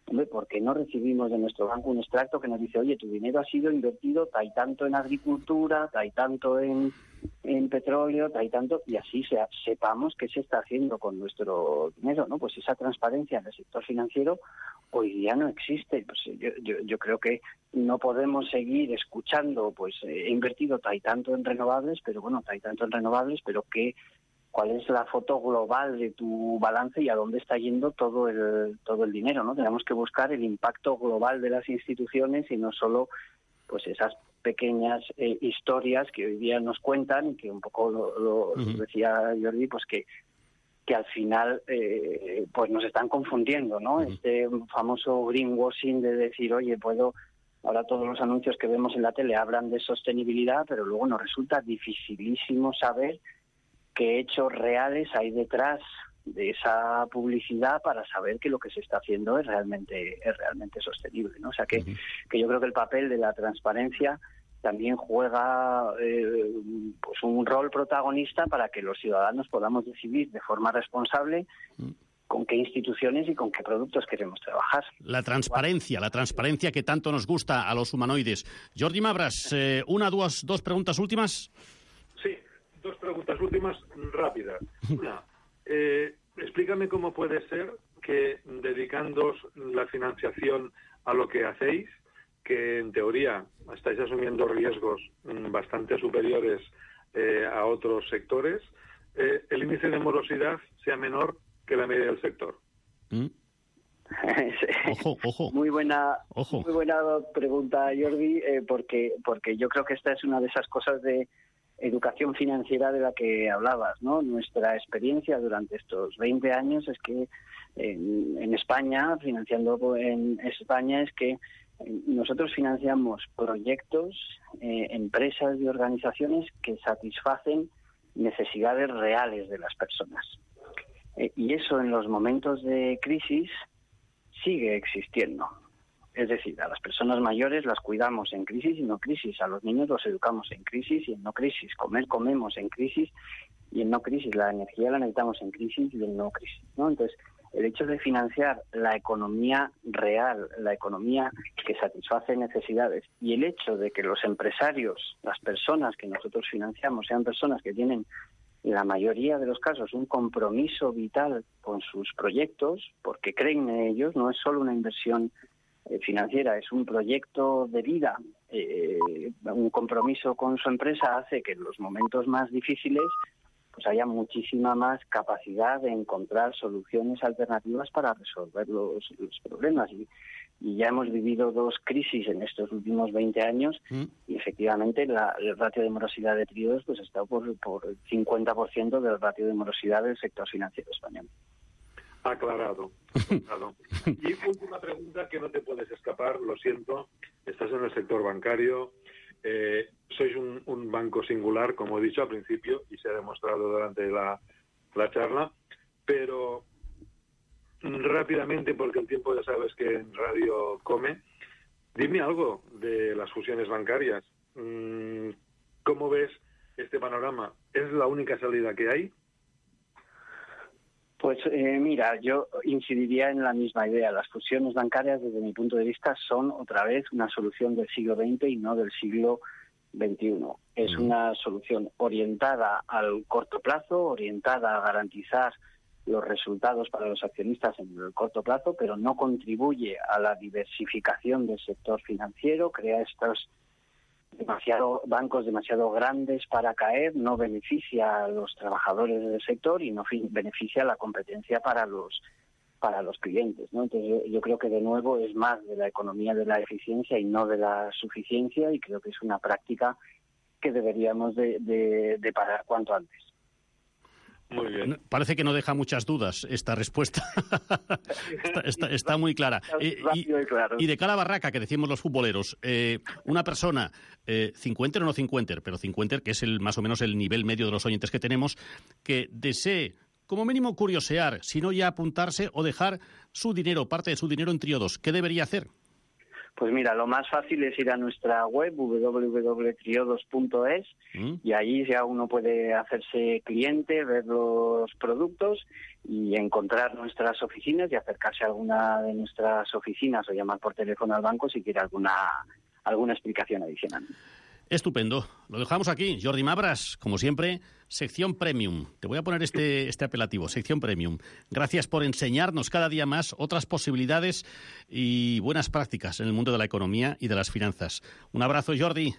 Hombre, ¿por qué no recibimos de nuestro banco un extracto que nos dice, oye, tu dinero ha sido invertido tal y tanto en agricultura, tal y tanto en, en petróleo, tal y tanto, y así se, sepamos qué se está haciendo con nuestro dinero, ¿no? Pues esa transparencia en el sector financiero hoy día no existe. Pues yo, yo, yo creo que no podemos seguir escuchando, pues he invertido tal y tanto en renovables, pero bueno, tal y tanto en renovables, pero que cuál es la foto global de tu balance y a dónde está yendo todo el todo el dinero, ¿no? Tenemos que buscar el impacto global de las instituciones y no solo pues esas pequeñas eh, historias que hoy día nos cuentan y que un poco lo, lo uh-huh. decía Jordi, pues que que al final eh, pues nos están confundiendo, ¿no? Uh-huh. Este famoso greenwashing de decir, oye, puedo... Ahora todos los anuncios que vemos en la tele hablan de sostenibilidad, pero luego nos resulta dificilísimo saber qué hechos reales hay detrás de esa publicidad para saber que lo que se está haciendo es realmente es realmente sostenible, ¿no? O sea que, uh-huh. que yo creo que el papel de la transparencia también juega eh, pues un rol protagonista para que los ciudadanos podamos decidir de forma responsable uh-huh. con qué instituciones y con qué productos queremos trabajar. La transparencia, la transparencia que tanto nos gusta a los humanoides. Jordi Mabras, eh, una, dos, dos preguntas últimas. Sí. Dos preguntas últimas rápidas. Una, eh, explícame cómo puede ser que dedicándoos la financiación a lo que hacéis, que en teoría estáis asumiendo riesgos mm, bastante superiores eh, a otros sectores, eh, el índice de morosidad sea menor que la media del sector. ¿Mm? Ojo, ojo. Muy buena, ojo. Muy buena pregunta, Jordi, eh, porque porque yo creo que esta es una de esas cosas de educación financiera de la que hablabas, ¿no? Nuestra experiencia durante estos veinte años es que en, en España, financiando en España, es que nosotros financiamos proyectos, eh, empresas y organizaciones que satisfacen necesidades reales de las personas. Eh, y eso en los momentos de crisis sigue existiendo. Es decir, a las personas mayores las cuidamos en crisis y no crisis, a los niños los educamos en crisis y en no crisis, comer comemos en crisis y en no crisis, la energía la necesitamos en crisis y en no crisis, ¿no? Entonces, el hecho de financiar la economía real, la economía que satisface necesidades, y el hecho de que los empresarios, las personas que nosotros financiamos, sean personas que tienen en la mayoría de los casos, un compromiso vital con sus proyectos, porque creen en ellos, no es solo una inversión eh, financiera, es un proyecto de vida. Eh, un compromiso con su empresa hace que en los momentos más difíciles pues haya muchísima más capacidad de encontrar soluciones alternativas para resolver los, los problemas. Y, y ya hemos vivido dos crisis en estos últimos veinte años mm. y efectivamente la, el ratio de morosidad de tríodos pues, está por, por el cincuenta por ciento del ratio de morosidad del sector financiero español. Aclarado. Aclarado. Y última pregunta que no te puedes escapar, lo siento, estás en el sector bancario, eh, sois un, un banco singular, como he dicho al principio, y se ha demostrado durante la, la charla, pero rápidamente, porque el tiempo ya sabes que en radio come, dime algo de las fusiones bancarias. ¿Cómo ves este panorama? ¿Es la única salida que hay? Pues eh, mira, yo incidiría en la misma idea. Las fusiones bancarias, desde mi punto de vista, son otra vez una solución del siglo veinte y no del siglo veintiuno. Es una solución orientada al corto plazo, orientada a garantizar los resultados para los accionistas en el corto plazo, pero no contribuye a la diversificación del sector financiero, crea estos demasiado bancos demasiado grandes para caer, no beneficia a los trabajadores del sector y no beneficia a la competencia para los para los clientes, ¿no? Entonces yo, yo creo que de nuevo es más de la economía de la eficiencia y no de la suficiencia, y creo que es una práctica que deberíamos de, de, de parar cuanto antes. Muy bien. Parece que no deja muchas dudas esta respuesta. está, está, está muy clara. Eh, y, y de cara a Barraca, que decimos los futboleros, eh, una persona, eh, cincuenter o no cincuenter, pero cincuenter, que es el más o menos el nivel medio de los oyentes que tenemos, que desee, como mínimo, curiosear, si no ya apuntarse o dejar su dinero, parte de su dinero en Triodos, ¿qué debería hacer? Pues mira, lo más fácil es ir a nuestra web, doble u doble u doble u punto triodos punto es, ¿Mm? y ahí ya uno puede hacerse cliente, ver los productos y encontrar nuestras oficinas y acercarse a alguna de nuestras oficinas o llamar por teléfono al banco si quiere alguna, alguna explicación adicional. Estupendo. Lo dejamos aquí. Jordi Mabras, como siempre, sección Premium. Te voy a poner este, este apelativo, sección Premium. Gracias por enseñarnos cada día más otras posibilidades y buenas prácticas en el mundo de la economía y de las finanzas. Un abrazo, Jordi.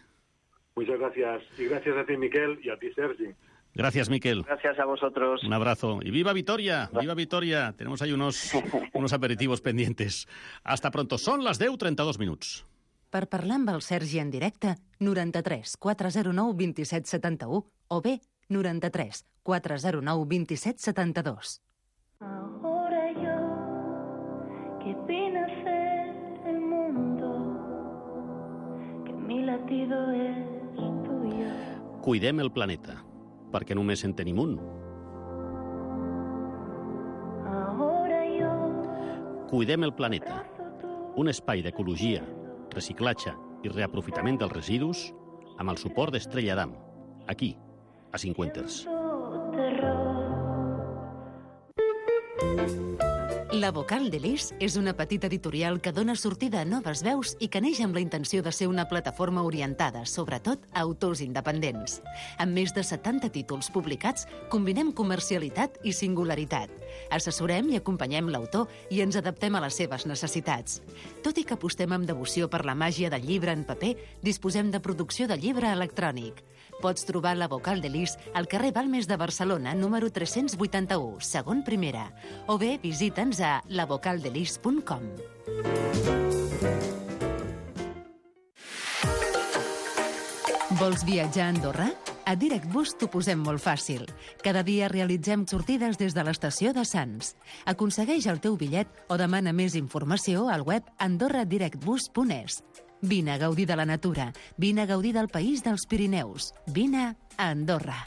Muchas gracias. Y gracias a ti, Miquel, y a ti, Sergi. Gracias, Miquel. Gracias a vosotros. Un abrazo. Y viva Vitoria, viva Vitoria. Tenemos ahí unos, unos aperitivos pendientes. Hasta pronto. Son las deu trenta-dos minuts. Per parlar amb el Sergi en directe, noranta-tres quatre zero nou vint-i-set setanta-u o bé noranta-tres quatre zero nou vint-i-set setanta-dos. Ahora yo, que vine a ser el mundo, que mi latido es tuyo. Cuidem el planeta, perquè només en tenim un. Ahora yo, Cuidem el planeta, un espai d'ecologia, reciclatge i reaprofitament dels residus amb el suport d'Estrella Damm, aquí, a Cinquenters. La Vocal de l'Is és una petita editorial que dona sortida a noves veus i que neix amb la intenció de ser una plataforma orientada, sobretot, a autors independents. Amb més de setanta títols publicats, combinem comercialitat i singularitat. Assessorem i acompanyem l'autor i ens adaptem a les seves necessitats. Tot i que apostem amb devoció per la màgia del llibre en paper, disposem de producció de llibre electrònic. Pots trobar la Vocal de l'Is al carrer Balmes de Barcelona, número tres-cents vuitanta-u, segon primera, o bé visita'ns a la vocal de lis punt com. Vols viatjar a Andorra? A DirectBus t'ho posem molt fàcil. Cada dia realitzem sortides des de l'estació de Sants. Aconsegueix el teu bitllet o demana més informació al web andorra direct bus punt es. Vine a gaudir de la natura. Vine a gaudir del país dels Pirineus. Vine a Andorra.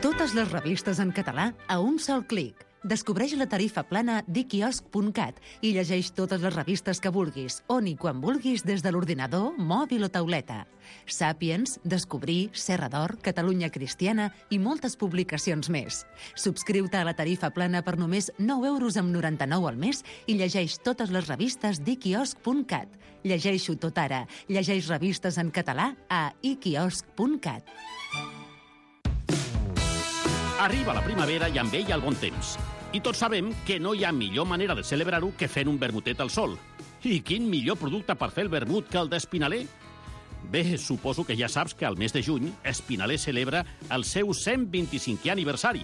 Totes les revistes en català a un sol clic. Descobreix la tarifa plana d'iquiosc punt cat i llegeix totes les revistes que vulguis, on i quan vulguis des de l'ordinador, mòbil o tauleta. Sàpiens, Descobrir, Serra d'Or, Catalunya Cristiana i moltes publicacions més. Subscriu-te a la tarifa plana per només nou euros amb noranta-nou al mes i llegeix totes les revistes d'iquiosc punt cat. Llegeixo tot ara. Llegeix revistes en català a iquiosc punt cat. Arriba la primavera i amb ella el bon temps. I tots sabem que no hi ha millor manera de celebrar-ho que fent un vermutet al sol. I quin millor producte per fer el vermut que el d'Espinaler? Bé, suposo que ja saps que al mes de juny Espinaler celebra el seu cent vint-i-cinquè aniversari.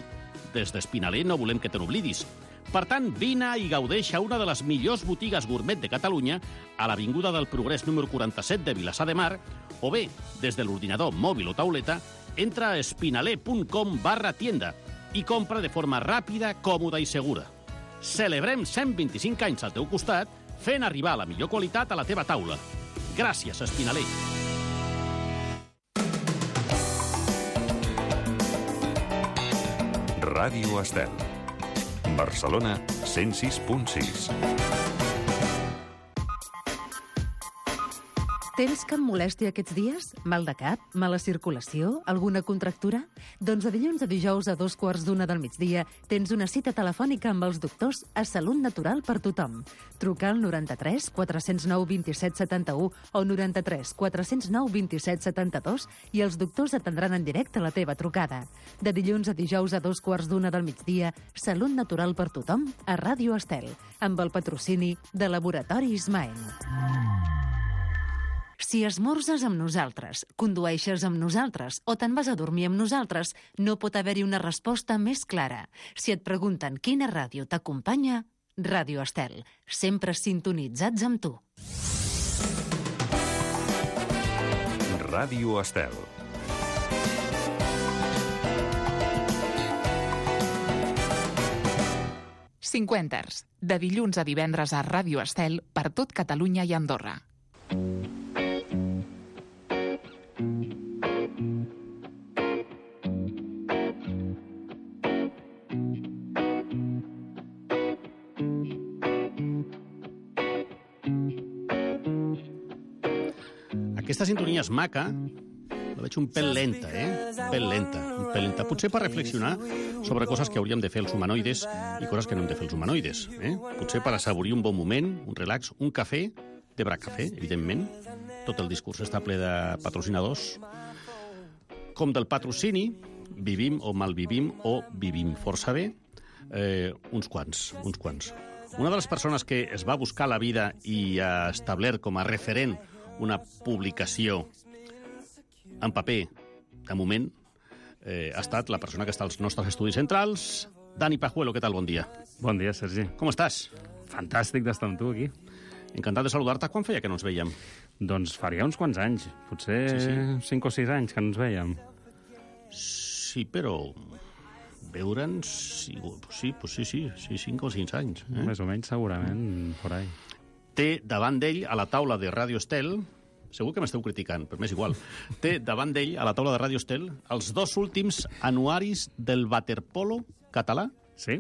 Des d'Espinaler no volem que te n'oblidis. Per tant, vine i gaudeix a una de les millors botigues gourmet de Catalunya, a l'Avinguda del Progrés número quaranta-set de Vilassar de Mar, o bé, des de l'ordinador mòbil o tauleta, entra a espinaler punt com barra tienda i compra de forma ràpida, còmoda i segura. Celebrem cent vint-i-cinc anys al teu costat, fent arribar la millor qualitat a la teva taula. Gràcies, Espinaler. Ràdio Estel. Barcelona, cent sis punt sis. Tens cap molèstia aquests dies? Mal de cap? Mala circulació? Alguna contractura? Doncs de dilluns a dijous a dos quarts d'una del migdia tens una cita telefònica amb els doctors a Salut Natural per tothom. Truca al noranta-tres quatre zero nou vint set setanta-u o noranta-tres quatre zero nou vint set setanta-dos i els doctors atendran en directe la teva trucada. De dilluns a dijous a dos quarts d'una del migdia, Salut Natural per tothom a Ràdio Estel, amb el patrocini de Laboratori Ismael. Si esmorzes amb nosaltres, condueixes amb nosaltres o te'n vas a dormir amb nosaltres, no pot haver-hi una resposta més clara. Si et pregunten quina ràdio t'acompanya, Ràdio Estel, sempre sintonitzats amb tu. Ràdio Estel. Cinquenters, de dilluns a divendres a Ràdio Estel per tot Catalunya i Andorra. Aquesta sintonia és maca, la veig un pèl lenta, eh? Un pèl lenta, un pèl lenta. Potser per reflexionar sobre coses que hauríem de fer els humanoides i coses que no hem de fer els humanoides. Eh? Potser per assaborir un bon moment, un relax, un cafè, de Brac Cafè, evidentment. Tot el discurs està ple de patrocinadors. Com del patrocini, vivim o malvivim o vivim força bé, eh, uns quants, uns quants. Una de les persones que es va buscar la vida i ha establert com a referent una publicació en paper, de moment, eh, ha estat la persona que està als nostres estudis centrals, Dani Pajuelo. Què tal? Bon dia. Bon dia, Sergi. Com estàs? Fantàstic d'estar amb tu aquí. Encantat de saludar-te. Quan feia que no ens veiem? Doncs faria uns quants anys, potser sí, sí. cinc o sis anys que no ens veiem. Sí, però veure'ns... Sí, sí, sí, sí, sí, cinc o sis anys. Eh? Més o menys, segurament, por ahí. Té davant d'ell, a la taula de Ràdio Estel, segur que m'esteu criticant, però m'és igual, té davant d'ell, a la taula de Ràdio Estel, els dos últims anuaris del waterpolo català. Sí.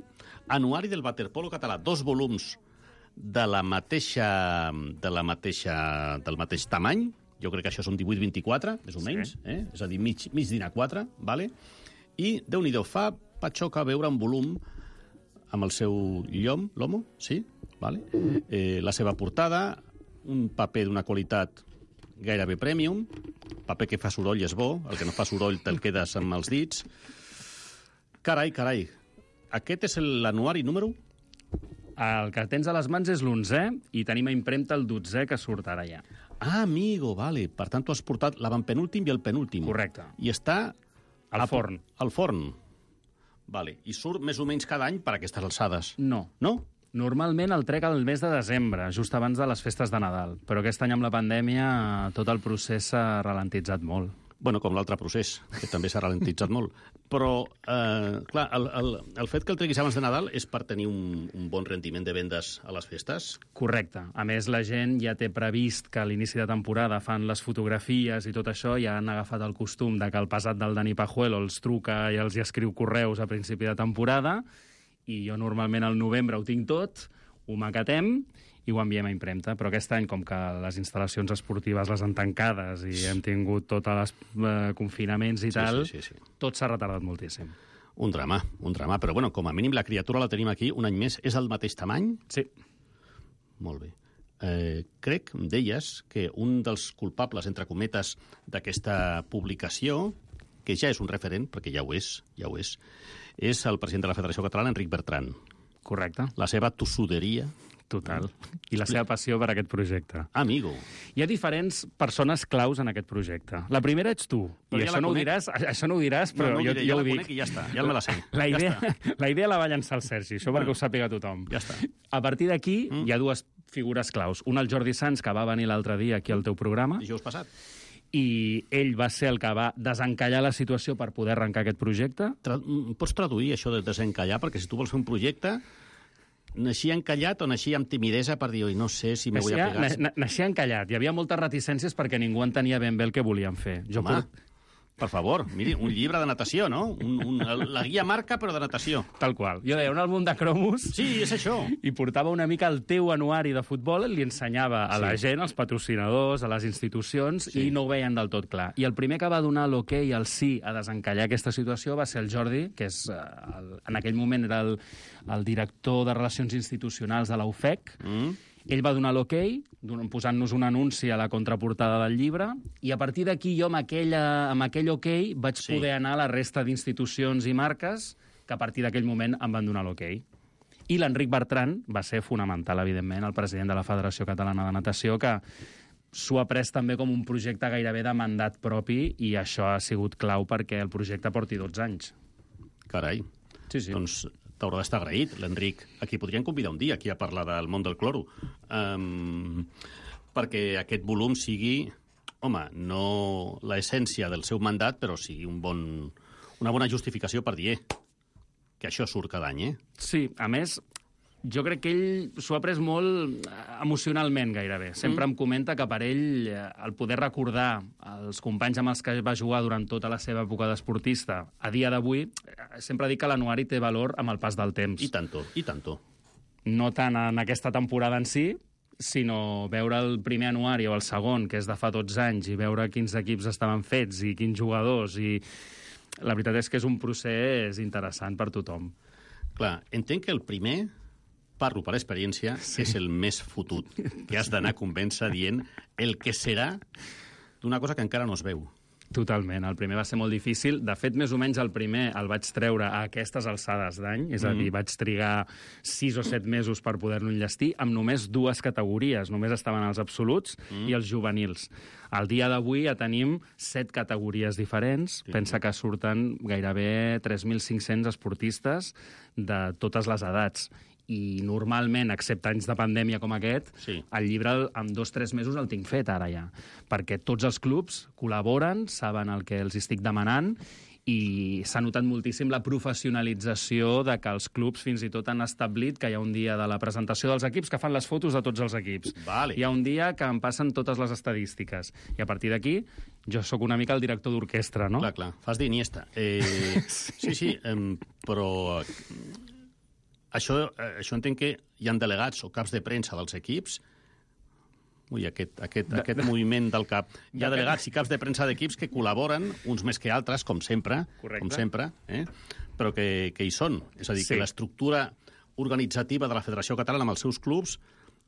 Anuari del waterpolo català, dos volums de la mateixa, de la mateixa, del mateix tamany. Jo crec que això són divuit vint-i-quatre, més o menys, sí. eh? És a dir, mig, mig dinar quatre, vale? I, Déu-n'hi-do, fa patxoca veure un volum amb el seu llom, l'homo, sí? Vale? Eh, la seva portada, un paper d'una qualitat gairebé premium, paper que fa soroll és bo, el que no fa soroll te'l quedes amb els dits. Carai, carai, aquest és l'anuari número? El que tens a les mans és l'onzè i tenim a impremta el dotzè que surt ara ja. Ah, amigo, vale. Per tant, tu has portat l'avantpenúltim i el penúltim. Correcte. I està... Al forn. Al forn. Vale. I surt més o menys cada any per aquestes alçades? No. No? Normalment el trec al mes de desembre, just abans de les festes de Nadal. Però aquest any amb la pandèmia tot el procés s'ha ralentitzat molt. Bueno, com l'altre procés, que també s'ha ralentitzat molt. Però, eh, clar, el, el, el fet que el treguis abans de Nadal és per tenir un, un bon rendiment de vendes a les festes? Correcte. A més, la gent ja té previst que a l'inici de temporada fan les fotografies i tot això, ja han agafat el costum de que el pesat del Dani Pajuelo els truca i els hi escriu correus a principi de temporada i jo normalment al novembre ho tinc tot, ho maquetem i ho enviem a impremta. Però aquest any, com que les instal·lacions esportives les han tancades i hem tingut tots els eh, confinaments i Sí, tal, sí, sí, sí. tot s'ha retardat moltíssim. Un drama, un drama. Però, bueno, com a mínim la criatura la tenim aquí un any més. És el mateix tamany? Sí. Molt bé. Eh, crec, em deies, que un dels culpables, entre cometes, d'aquesta publicació, que ja és un referent, perquè ja ho és, ja ho és, és el president de la Federació Catalana, Enric Bertran. Correcte. La seva tossuderia. Total. I la seva passió per aquest projecte. Amigo. Hi ha diferents persones claus en aquest projecte. La primera ets tu. Però I ja això la no, ho conec. diràs, això no ho diràs, però no, no jo, diré, jo ja ho la dic. conec i ja està, ja me la sé. La Ja idea, està. la idea la va llançar el Sergi, això perquè Bueno. ho sàpiga tothom. Ja està. A partir d'aquí mm. hi ha dues figures claus. Un, el Jordi Sans, que va venir l'altre dia aquí al teu programa. Dijous passat. I ell va ser el que va desencallar la situació per poder arrencar aquest projecte. Tra pots traduir això de desencallar? Perquè si tu vols fer un projecte, naixia encallat o naixia amb timidesa per dir, oi, no sé si me vull Naixia, apegar... na, naixia encallat. Hi havia moltes reticències perquè ningú entenia ben bé el que volien fer. Jo Home, por... per favor, miri, un llibre de natació, no? Un, un, la guia marca, però de natació. Tal qual. Jo deia, un àlbum de cromos... Sí, és això. I portava una mica el teu anuari de futbol, li ensenyava a Sí. la gent, als patrocinadors, a les institucions, Sí. i no ho veien del tot clar. I el primer que va donar l'hoquei, el sí, a desencallar aquesta situació va ser el Jordi, que és, eh, el, en aquell moment era el, el director de Relacions Institucionals de la U F E C. Mm. Ell va donar l'hoquei, posant-nos un anunci a la contraportada del llibre, i a partir d'aquí jo, amb, aquella, amb aquell hoquei, vaig Sí. poder anar a la resta d'institucions i marques que a partir d'aquell moment em van donar l'hoquei. I l'Enric Bertran va ser fonamental, evidentment, el president de la Federació Catalana de Natació, que s'ho ha pres també com un projecte gairebé de mandat propi, i això ha sigut clau perquè el projecte porti dotze anys. Carai. Sí, sí. Doncs t'haurà d'estar agraït, l'Enric. Aquí podríem convidar un dia aquí a parlar del món del cloro. Um, perquè aquest volum sigui, home, no l'essència del seu mandat, però sigui un bon, una bona justificació per dir, eh, que això surt cada any, eh? Sí, a més, jo crec que ell s'ho ha pres molt emocionalment, gairebé. Sempre mm. em comenta que per ell eh, el poder recordar els companys amb els que va jugar durant tota la seva època d'esportista, a dia d'avui, eh, sempre dic que l'anuari té valor amb el pas del temps. I tanto, i tanto. No tant en aquesta temporada en si, sinó veure el primer anuari o el segon, que és de fa dotze anys, i veure quins equips estaven fets i quins jugadors, i la veritat és que és un procés interessant per tothom. Clar, entenc que el primer, parlo per experiència, sí. és el més fotut, que has d'anar a convèncer dient el que serà d'una cosa que encara no es veu. Totalment. El primer va ser molt difícil. De fet, més o menys el primer el vaig treure a aquestes alçades d'any, és a dir, Mm. vaig trigar sis o set mesos per poder-lo enllestir amb només dues categories. Només estaven els absoluts Mm. i els juvenils. Al dia d'avui ja tenim set categories diferents. Sí. Pensa que surten gairebé tres mil cinc-cents esportistes de totes les edats. I normalment, excepte anys de pandèmia com aquest, Sí. el llibre en dos o tres mesos el tinc fet ara ja, perquè tots els clubs col·laboren, saben el que els estic demanant, i s'ha notat moltíssim la professionalització de que els clubs fins i tot han establit que hi ha un dia de la presentació dels equips que fan les fotos de tots els equips. Vale. Hi ha un dia que em passen totes les estadístiques. I a partir d'aquí, jo sóc una mica el director d'orquestra, no? Clar, clar. Fas d'Iniesta. Eh, sí, sí, eh, però... Això, eh, això entenc que hi ha delegats o caps de premsa dels equips. Ui, aquest, aquest, De- aquest de- moviment del cap. Hi ha de- delegats i caps de premsa d'equips que col·laboren, uns més que altres, com sempre, Correcte. com sempre, eh? però que, que hi són. És a dir, Sí. que l'estructura organitzativa de la Federació Catalana amb els seus clubs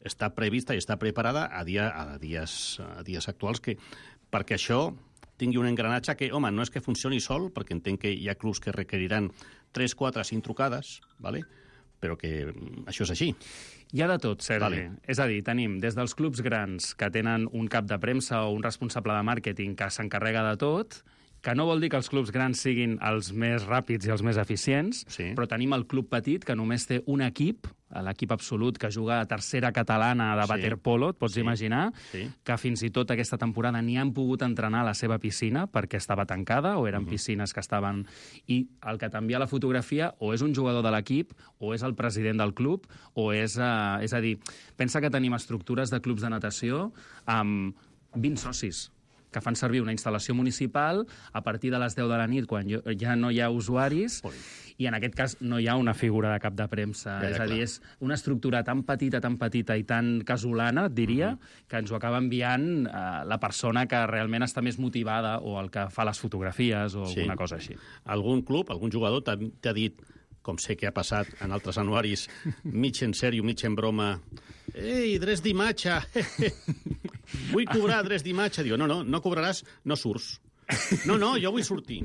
està prevista i està preparada a, dia, a, dies, a dies actuals que, perquè això tingui un engranatge que, home, no és que funcioni sol, perquè entenc que hi ha clubs que requeriran tres, quatre, cinc trucades, ¿vale? però que mm, això és així. Hi ha de tot, Sergi. Vale. És a dir, tenim des dels clubs grans que tenen un cap de premsa o un responsable de màrqueting que s'encarrega de tot, que no vol dir que els clubs grans siguin els més ràpids i els més eficients, Sí. però tenim el club petit, que només té un equip, l'equip absolut, que juga a tercera catalana de Sí. waterpolo, et pots Sí. imaginar, Sí. que fins i tot aquesta temporada ni han pogut entrenar a la seva piscina perquè estava tancada o eren Mhm. piscines que estaven... I el que t'envia la fotografia o és un jugador de l'equip o és el president del club o és... Eh, és a dir, pensa que tenim estructures de clubs de natació amb vint socis. que fan servir una instal·lació municipal a partir de les deu de la nit, quan ja no hi ha usuaris, Ui. i en aquest cas no hi ha una figura de cap de premsa. Ja, ja, és a dir, és una estructura tan petita, tan petita i tan casolana, diria, uh-huh. que ens ho acaba enviant uh, la persona que realment està més motivada o el que fa les fotografies o sí. alguna cosa així. Algun club, algun jugador t'ha dit, com sé que ha passat en altres anuaris, mig en sèrio, mig en broma, ei, drets d'imatge, vull cobrar drets d'imatge. Diu, no, no, no cobraràs, no surts. No, no, jo vull sortir.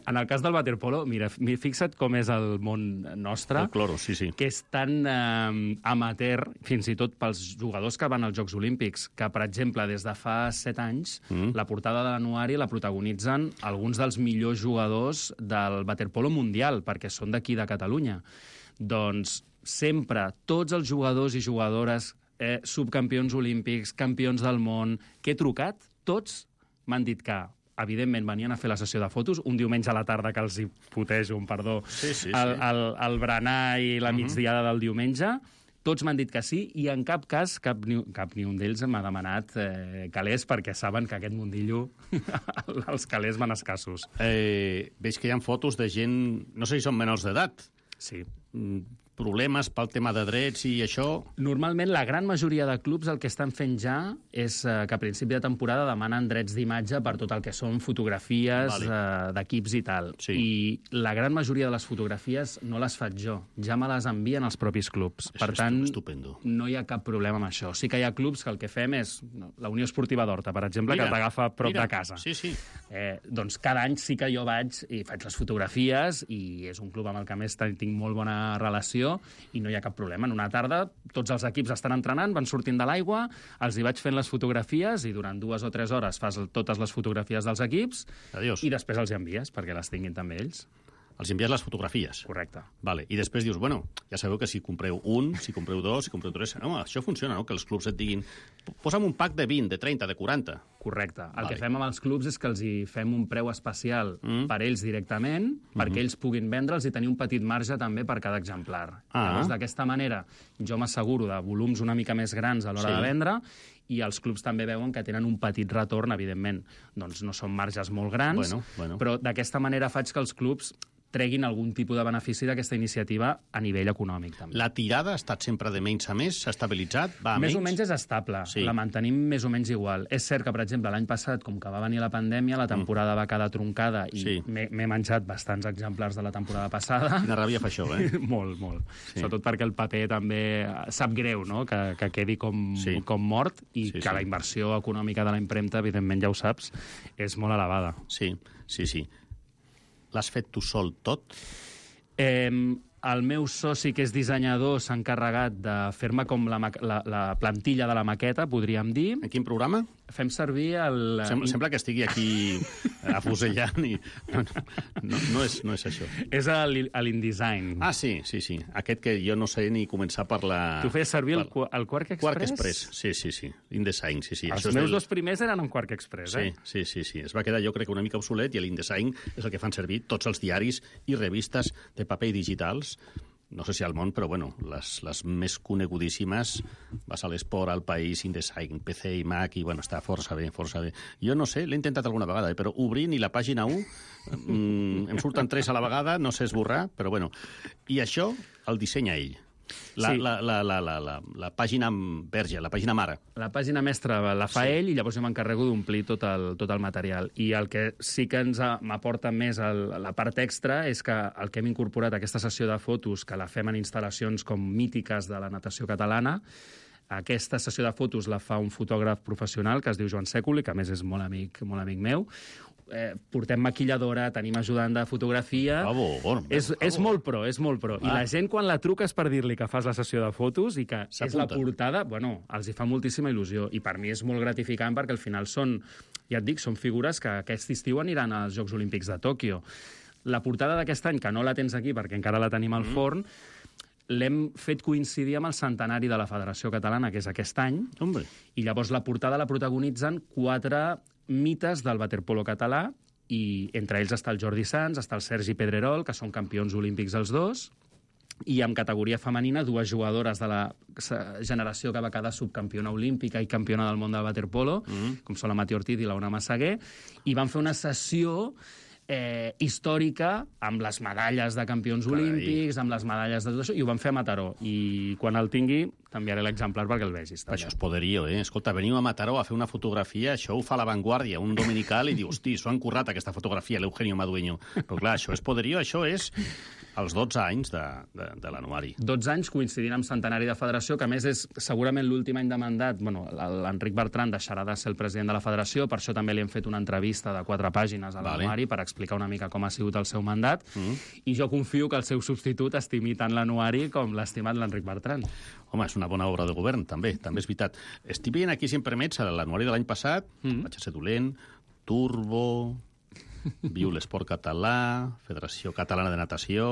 En el cas del waterpolo, mira, fixa't com és el món nostre. El cloro, sí, sí. Que és tan eh, amateur, fins i tot pels jugadors que van als Jocs Olímpics, que, per exemple, des de fa set anys, mm. la portada de l'anuari la protagonitzen alguns dels millors jugadors del waterpolo mundial, perquè són d'aquí, de Catalunya. Doncs sempre, tots els jugadors i jugadores, eh, subcampions olímpics, campions del món, que he trucat, tots m'han dit que, evidentment, venien a fer la sessió de fotos, un diumenge a la tarda que els hi putejo, un perdó, sí, sí, sí. El, el, el berenar i la migdiada del diumenge. Tots m'han dit que sí, i en cap cas, cap ni, cap ni un d'ells m'ha demanat eh, calés, perquè saben que aquest mundillo, els calés van escassos. Eh, veig que hi ha fotos de gent, no sé si són menors d'edat. Sí. Problemes pel tema de drets i això... Normalment, la gran majoria de clubs el que estan fent ja és eh, que a principi de temporada demanen drets d'imatge per tot el que són fotografies vale. eh, d'equips i tal. Sí. I la gran majoria de les fotografies no les faig jo, ja me les envien els propis clubs. Això per tant, estupendo. No hi ha cap problema amb això. Sí que hi ha clubs que el que fem és... La Unió Esportiva d'Horta, per exemple, mira, que t'agafa prop mira. de casa. Sí, sí. Eh, doncs cada any sí que jo vaig i faig les fotografies i és un club amb el que més tinc molt bona relació i no hi ha cap problema. En una tarda tots els equips estan entrenant, van sortint de l'aigua, els hi vaig fent les fotografies i durant dues o tres hores fas totes les fotografies dels equips. Adiós. I després els hi envies perquè les tinguin també ells. Els envies les fotografies. Correcte. Vale. I després dius, bueno, ja sabeu que si compreu un, si compreu dos, si compreu tres... No, això funciona, no? Que els clubs et diguin, posa'm un pack de vint, de trenta, de quaranta. Correcte. El vale. que fem amb els clubs és que els hi fem un preu especial mm. per ells directament, mm-hmm. perquè ells puguin vendre'ls i tenir un petit marge també per cada exemplar. Ah. Llavors, d'aquesta manera, jo m'asseguro de volums una mica més grans a l'hora sí. de vendre, i els clubs també veuen que tenen un petit retorn, evidentment. Doncs no són marges molt grans, bueno, bueno. però d'aquesta manera faig que els clubs treguin algun tipus de benefici d'aquesta iniciativa a nivell econòmic, també. La tirada ha estat sempre de menys a més? S'ha estabilitzat? Va a més menys? o menys és estable. Sí. La mantenim més o menys igual. És cert que, per exemple, l'any passat, com que va venir la pandèmia, la temporada mm. va quedar troncada i sí. m'he menjat bastants exemplars de la temporada passada. Quina ràbia fa això, eh? molt, molt. Sí. Sobretot perquè el paper també sap greu, no?, que, que quedi com, sí. com mort i sí, que sí. la inversió econòmica de la impremta, evidentment, ja ho saps, és molt elevada. Sí, sí, sí. L'has fet tu sol tot? Eh, el meu soci, que és dissenyador, s'ha encarregat de fer-me com la, la, la plantilla de la maqueta, podríem dir. En quin programa? Fem servir el... Sembla, sembla que estigui aquí afusellant i... No, no, no, és, no és això. És l'InDesign. Ah, sí, sí, sí. Aquest que jo no sé ni començar per la... Tu feies servir per... el, el Quark Express? Quark Express, sí, sí, sí. InDesign, sí, sí. Els això meus del... dos primers eren en Quark Express, eh? Sí, sí, sí, sí. Es va quedar, jo crec, una mica obsolet, i l'InDesign és el que fan servir tots els diaris i revistes de paper i digitals. No sé si al món, però bueno, les, les més conegudíssimes, vas a l'Esport, al País, InDesign, P C i Mac, i bueno, està força bé, força bé. Jo no sé, l'he intentat alguna vegada, eh, però obrint i la pàgina u, mm, em surten tres a la vegada, no sé esborrar, però bueno. I això el dissenya ell. La, Sí. la, la, la, la, la, la pàgina verge, la pàgina mare. La pàgina mestra la fa Sí. ell i llavors jo m'encarrego d'omplir tot el, tot el material. I el que sí que ens ha- m'aporta més el, la part extra és que el que hem incorporat a aquesta sessió de fotos, que la fem en instal·lacions com mítiques de la natació catalana, aquesta sessió de fotos la fa un fotògraf professional que es diu Joan Sèculi, que a més és molt amic, molt amic meu. Eh, portem maquilladora, tenim ajudant de fotografia... Bravo, bon, és, bravo. és molt pro, és molt pro. I Ah. la gent, quan la truques per dir-li que fas la sessió de fotos i que és la S'apunten. portada, bueno, els hi fa moltíssima il·lusió. I per mi és molt gratificant perquè al final són, ja et dic, són figures que aquest estiu aniran als Jocs Olímpics de Tòquio. La portada d'aquest any, que no la tens aquí perquè encara la tenim al Mm. forn, l'hem fet coincidir amb el centenari de la Federació Catalana, que és aquest any, Hombre. i llavors la portada la protagonitzen quatre mites del waterpolo català, i entre ells està el Jordi Sans, està el Sergi Pedrerol, que són campions olímpics els dos, i en categoria femenina dues jugadores de la generació que va quedar subcampiona olímpica i campiona del món del waterpolo, mm. com són la Mati Ortiz i l'Ona Massaguer, i van fer una sessió eh, històrica amb les medalles de campions Carai. olímpics, amb les medalles de tot això, i ho van fer a Mataró. I quan el tingui, t'enviaré l'exemplar perquè el vegis. També. Això és poderío, eh? Escolta, veniu a Mataró a fer una fotografia, això ho fa La Vanguardia, un dominical, i diu, hosti, s'ho han currat aquesta fotografia, l'Eugenio Madueño. Però clar, això és poderío, això és els dotze anys de, de, de l'anuari. dotze anys coincidint amb centenari de federació, que a més és segurament l'últim any de mandat. Bueno, l'Enric Bertran deixarà de ser el president de la federació, per això també li hem fet una entrevista de quatre pàgines a l'anuari vale. per explicar una mica com ha sigut el seu mandat, mm. i jo confio que el seu substitut estimi tant l'anuari com l'ha estimat l'Enric Bertran. Home, és una bona obra de govern, també, també és veritat. Estic veient aquí, si em permets, l'anuari de l'any passat, mm. vaig a ser dolent, Turbo, Viu l'Esport Català, Federació Catalana de Natació,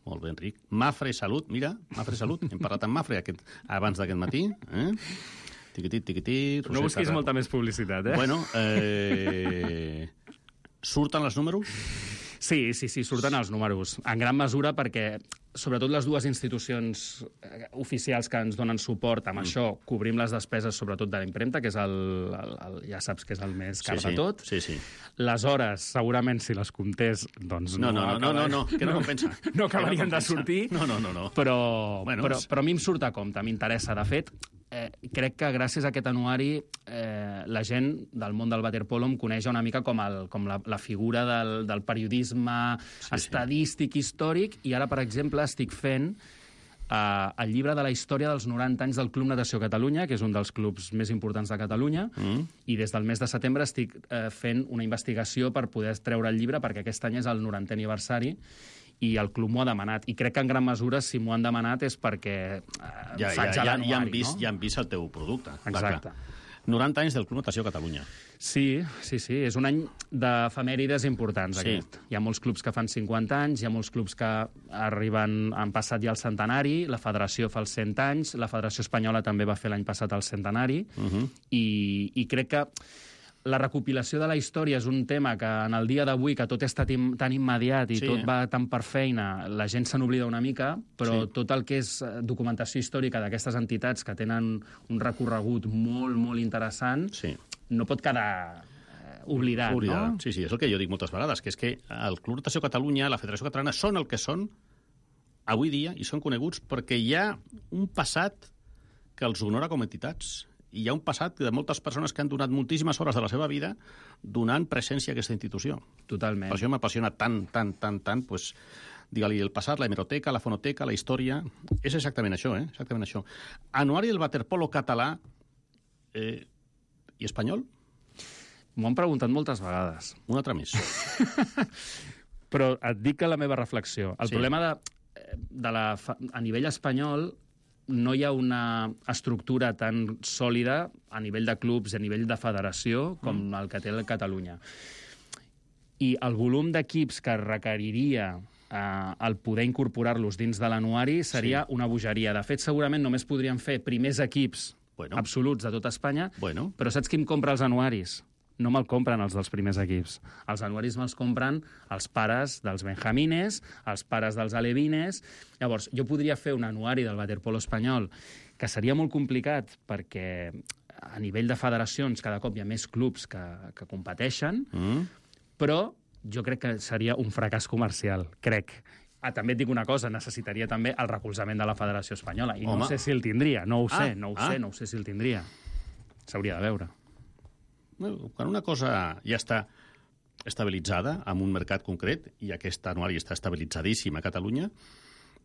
molt bé, Enric. Mafre Salut, mira, Mafre Salut, hem parlat amb Mafre aquest, abans d'aquest matí, eh? Tiquitit, tiquitit... No busquis molta més publicitat, eh? Bueno, eh... surten els números? Sí, sí, sí, surten els números. En gran mesura perquè, sobretot les dues institucions oficials que ens donen suport amb mm. això, cobrim les despeses sobretot de la impremta, que és el, el, el ja saps que és el més car sí, sí. de tot. Sí, sí. Les hores, segurament, si les comptés, doncs no... No, no, no, no, no, que no compensa. No acabarien no de sortir. No, no, no. no. Però, bueno, però, però a mi em surt a compte, m'interessa. De fet, eh, crec que gràcies a aquest anuari eh, la gent del món del waterpolo em coneix una mica com, el, com la, la figura del, del periodisme sí, estadístic, sí. històric, i ara, per exemple, estic fent eh, el llibre de la història dels noranta anys del Club Natació Catalunya, que és un dels clubs més importants de Catalunya, mm. i des del mes de setembre estic eh, fent una investigació per poder treure el llibre, perquè aquest any és el norantè aniversari, i el club m'ho ha demanat. I crec que en gran mesura, si m'ho han demanat, és perquè eh, ja, faig ja, a l'anuari, ja, han vist, no? Ja han vist el teu producte. Exacte. noranta anys del Club Natació Catalunya. Sí, sí, sí. És un any d'efemèrides importants, sí. aquest. Hi ha molts clubs que fan cinquanta anys, hi ha molts clubs que arriben, han passat ja el centenari, la federació fa els cent anys, la Federació Espanyola també va fer l'any passat el centenari, uh -huh. i, i crec que la recopilació de la història és un tema que en el dia d'avui, que tot és tan immediat i sí, tot eh? va tan per feina, la gent se n'oblida una mica, però sí. tot el que és documentació històrica d'aquestes entitats que tenen un recorregut molt, molt interessant, sí. no pot quedar oblidat, oblidat, no? Sí, sí, és el que jo dic moltes vegades, que és que el Club Natació Catalunya, la Federació Catalana, són el que són avui dia i són coneguts perquè hi ha un passat que els honora com a entitats. I hi ha un passat de moltes persones que han donat moltíssimes hores de la seva vida donant presència a aquesta institució. Totalment. Per això m'apassiona tant, tant, tant, tant, pues, digue-li el passat, la hemeroteca, la fonoteca, la història... És exactament això, eh? Exactament això. Anuari del waterpolo català eh, i espanyol? M'ho han preguntat moltes vegades. Un altre més. Però et dic que la meva reflexió... El sí. problema de, de la, a nivell espanyol no hi ha una estructura tan sòlida a nivell de clubs i a nivell de federació com mm. el que té el Catalunya. I el volum d'equips que requeriria eh, el poder incorporar-los dins de l'anuari seria sí. una bogeria. De fet, segurament només podríem fer primers equips bueno. absoluts de tot Espanya, bueno. però saps qui em compra els anuaris? No me'l compren els dels primers equips. Els anuaris me'ls compren els pares dels benjamines, els pares dels alevines. Llavors, jo podria fer un anuari del waterpolo espanyol que seria molt complicat perquè a nivell de federacions cada cop hi ha més clubs que, que competeixen, mm. però jo crec que seria un fracàs comercial, crec. Ah, també et dic una cosa, necessitaria també el recolzament de la Federació Espanyola. I Home. no sé si el tindria, no ho sé, ah, no ho ah. sé, no ho sé si el tindria. S'hauria de veure. Quan una cosa ja està estabilitzada en un mercat concret, i aquest anuari està estabilitzadíssim a Catalunya,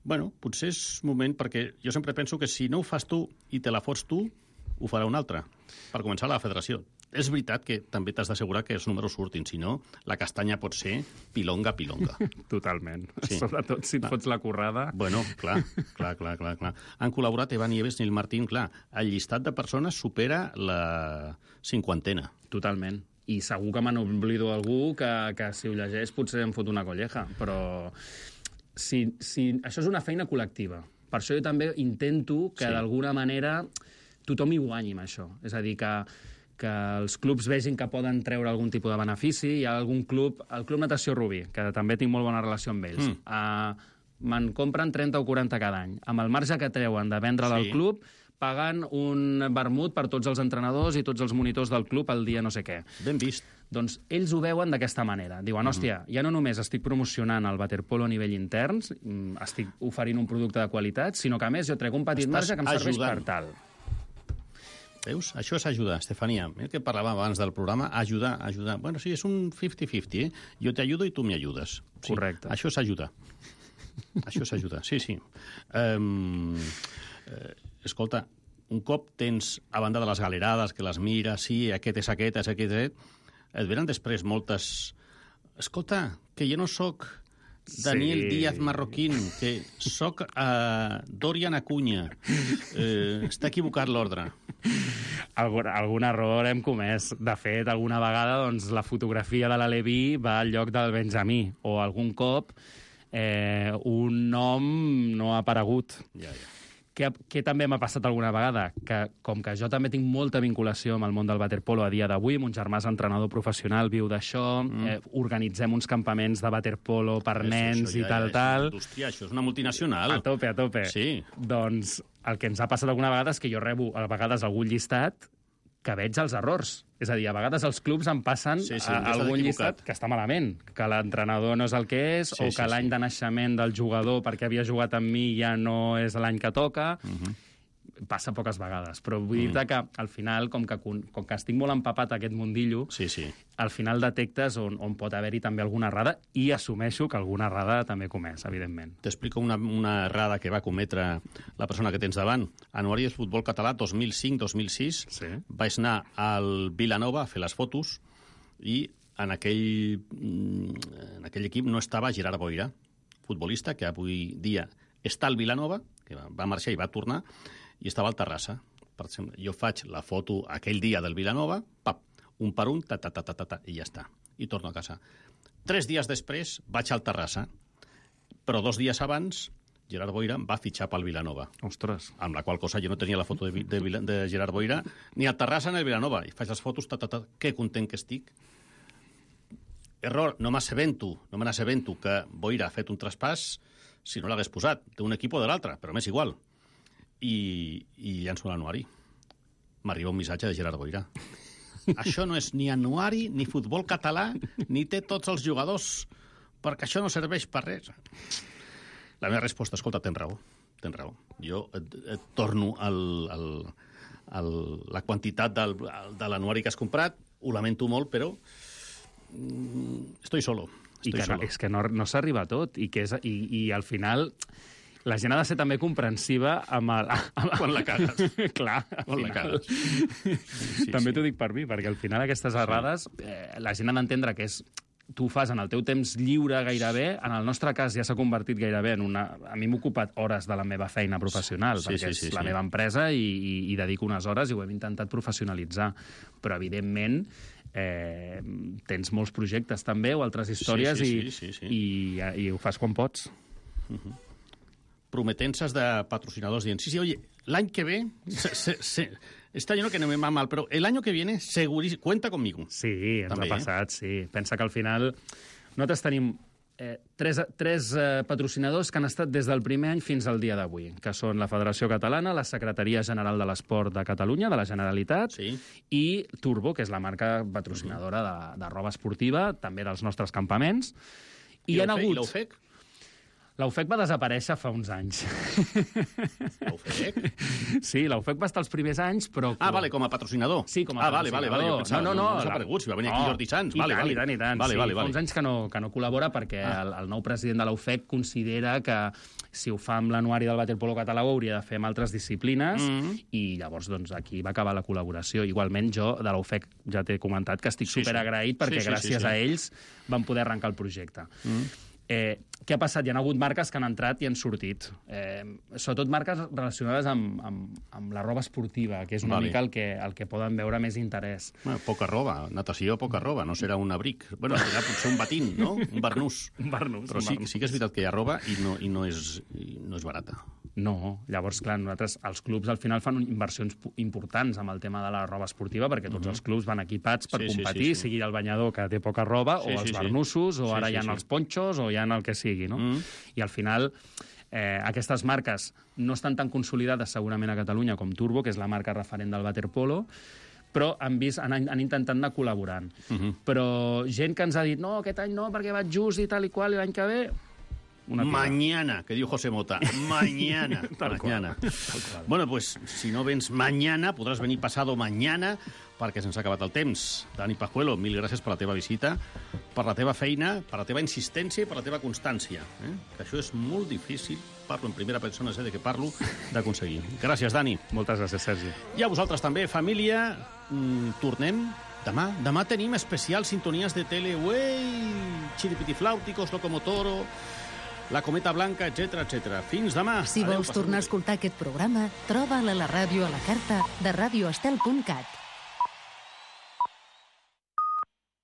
bueno, potser és moment, perquè jo sempre penso que si no ho fas tu i te la fots tu, ho farà un altre. Per començar, la federació. És veritat que també t'has d'assegurar que els números surtin, si no, la castanya pot ser pilonga, pilonga. Totalment. Sí. Sobretot si et fots la currada. Bueno, clar, clar, clar, clar, clar. Han col·laborat Evan Nieves i el Martín, clar. El llistat de persones supera la cinquantena. Totalment. I segur que me n'oblido algú que, que si ho llegeix potser em fot una colleja, però si, si... això és una feina col·lectiva. Per això jo també intento que sí. d'alguna manera tothom hi guanyi amb això. És a dir, que, que els clubs vegin que poden treure algun tipus de benefici. Hi ha algun club, el Club Natació Rubí, que també tinc molt bona relació amb ells. Mm. Uh, me'n compren trenta o quaranta cada any. Amb el marge que treuen de vendre'l al Sí. club, pagant un vermut per tots els entrenadors i tots els monitors del club el dia no sé què. Ben vist. Doncs ells ho veuen d'aquesta manera. Diuen, hòstia, ja no només estic promocionant el waterpolo a nivell intern, mm, estic oferint un producte de qualitat, sinó que a més jo trec un petit Estàs marge que em serveix ajudant. per tal. Veus? Això és ajudar, Estefania. El que parlàvem abans del programa, ajudar, ajudar. Bueno, sí, és un cinquanta cinquanta, eh? Jo t'ajudo i tu m'ajudes. Sí, correcte. Això és ajudar. Això és ajudar, sí, sí. Um, eh, escolta, un cop tens, a banda de les galerades, que les mires, sí, aquest és aquest, és aquest, és aquest, et venen després moltes... Escolta, que jo no sóc Daniel Sí. Díaz Marroquín, que sóc uh, Dorian Acuña. Eh, està equivocat l'ordre. Algun, algun error hem comès. De fet, alguna vegada doncs, la fotografia de l'Aleví va al lloc del Benjamí, o algun cop eh, un nom no ha aparegut. Ja, ja. Què, què també m'ha passat alguna vegada? Que com que jo també tinc molta vinculació amb el món del waterpolo a dia d'avui, mon germà és entrenador professional, viu d'això, mm. eh, organitzem uns campaments de waterpolo per Això, nens això i ja, tal, ja, és tal. una indústria, això és una multinacional. A tope, a tope. Sí. Doncs el que ens ha passat alguna vegada és que jo rebo a vegades algun llistat que veig els errors. És a dir, a vegades els clubs em passen Sí, sí, a, que estàs algun equivocat. llistat que està malament, que l'entrenador no és el que és, Sí, o sí, que l'any sí. de naixement del jugador, perquè havia jugat amb mi, ja no és l'any que toca. Uh-huh. Passa poques vegades, però vull dir-te que al final, com que, com que estic molt empapat a aquest mundillo, sí, sí. al final detectes on, on pot haver-hi també alguna errada, i assumeixo que alguna errada també he comès, evidentment. T'explico una, una errada que va cometre la persona que tens davant. Anuari del futbol català dos mil cinc dos mil sis. Sí. Vaig anar al Vilanova a fer les fotos i en aquell, en aquell equip no estava Gerard Boira, futbolista que avui dia està al Vilanova, que va marxar i va tornar, i estava al Terrassa. Per exemple, jo faig la foto aquell dia del Vilanova, pap, un per un, ta, ta, ta, ta, ta, ta, i ja està. I torno a casa. Tres dies després vaig al Terrassa, però dos dies abans Gerard Boira va fitxar pel Vilanova. Ostres. Amb la qual cosa jo no tenia la foto de, de, de Gerard Boira ni al Terrassa ni al Vilanova. I faig les fotos, ta, ta, ta, que content que estic. Error, no m'assabento, no me n'assabento que Boira ha fet un traspàs si no l'hagués posat, d'un equip o de l'altre, però m'és igual. I, i llanço l'anuari. M'arriba un missatge de Gerard Boira. Això no és ni anuari, ni futbol català, ni té tots els jugadors, perquè això no serveix per res. La meva resposta, escolta, tens raó, tens raó. Jo et, et torno al, al, al, la quantitat del, de l'anuari que has comprat, ho lamento molt, però mm, estoy solo. I Estoy que no, solo. és que no, no s'arriba a tot, i, que és, i, i al final la gent ha de ser també comprensiva amb el... Amb... Quan la cagues. Clar, al Quan la final. cagues. Sí, també sí. t'ho dic per mi, perquè al final aquestes errades eh, la gent ha d'entendre que és tu ho fas en el teu temps lliure gairebé, en el nostre cas ja s'ha convertit gairebé en una... A mi m'ha ocupat hores de la meva feina professional, Sí, perquè sí, sí, és la sí. meva empresa i, i, i dedico unes hores i ho hem intentat professionalitzar. Però, evidentment, eh, tens molts projectes també o altres històries sí, i, sí, sí, sí. i, i ho fas quan pots. Uh-huh. Prometences de patrocinadors dient, sí, sí, oye, l'any que ve, se, se, se, este año no que no me va mal, pero el año que viene, segurísimo, cuenta conmigo. Sí, ens També, ha passat, sí. Pensa que al final nosaltres tenim eh, tres, tres eh, patrocinadors que han estat des del primer any fins al dia d'avui, que són la Federació Catalana, la Secretaria General de l'Esport de Catalunya, de la Generalitat, sí. i Turbo, que és la marca patrocinadora de, de roba esportiva, també dels nostres campaments. I, I hi ha l'U F E C? hagut... I l'U F E C? L'U F E C va desaparèixer fa uns anys. L'U F E C? Sí, l'U F E C va estar els primers anys, però... Ah, vale, com a patrocinador. Sí, com a ah, vale, vale, vale, jo pensava, no, no, no, no s'ha la... aparegut, si va venir aquí no, Jordi Sanz. I Vale, tant, vale. i tant, i tant. Vale, sí, vale, fa vale. uns anys que no, que no col·labora perquè Ah. el, el nou president de l'U F E C considera que si ho fa amb l'anuari del waterpolo català ho hauria de fer amb altres disciplines Mm. i llavors doncs, aquí va acabar la col·laboració. Igualment jo de l'U F E C ja t'he comentat que estic Sí, sí. superagraït perquè Sí, sí, gràcies sí, sí. a ells vam poder arrencar el projecte. Mm. Eh, què ha passat? Hi ha hagut marques que han entrat i han sortit. Eh, sobretot marques relacionades amb, amb, amb la roba esportiva, que és una Vale. mica el que, el que poden veure més interès. Bueno, poca roba, natació, poca roba, no serà un abric. Bueno, serà potser un batín, no? Un barnús. Un barnús. Però un sí, barnús. sí que és veritat que hi ha roba i no, i no, és, i no és barata. No, llavors, clar, nosaltres, els clubs al final fan inversions pu- importants amb el tema de la roba esportiva, perquè tots Mhm. els clubs van equipats per Sí, sí, competir, sí, sí. sigui el banyador que té poca roba, Sí, o sí, els sí. barnussos, o Sí, ara sí, hi ha sí. els ponxos, o hi ha el que sigui. sigui, no? Mm. I al final, eh, aquestes marques no estan tan consolidades segurament a Catalunya com Turbo, que és la marca referent del waterpolo, però han, vist, han, han intentat anar col·laborant. Uh-huh. Però gent que ens ha dit no, aquest any no, perquè vaig just i tal i qual, i l'any que ve... Mañana, que diu José Mota. Mañana. mañana. Bueno, pues, si no vens mañana, podràs venir pasado mañana, perquè se'ns ha acabat el temps. Dani Pajuelo, mil gràcies per la teva visita, per la teva feina, per la teva insistència i per la teva constància. Eh? Que això és molt difícil, parlo en primera persona, sé de què parlo, d'aconseguir. Gràcies, Dani. Moltes gràcies, Sergi. I a vosaltres també, família. Mm, tornem demà. Demà tenim especial sintonies de tele. Uei! Chiripitiflàuticos, Locomotoro... La Cometa Blanca, etcètera, etcètera. Fins demà. Si vols tornar a escoltar aquest programa, troba'l a la ràdio a la carta de radioestel punt cat.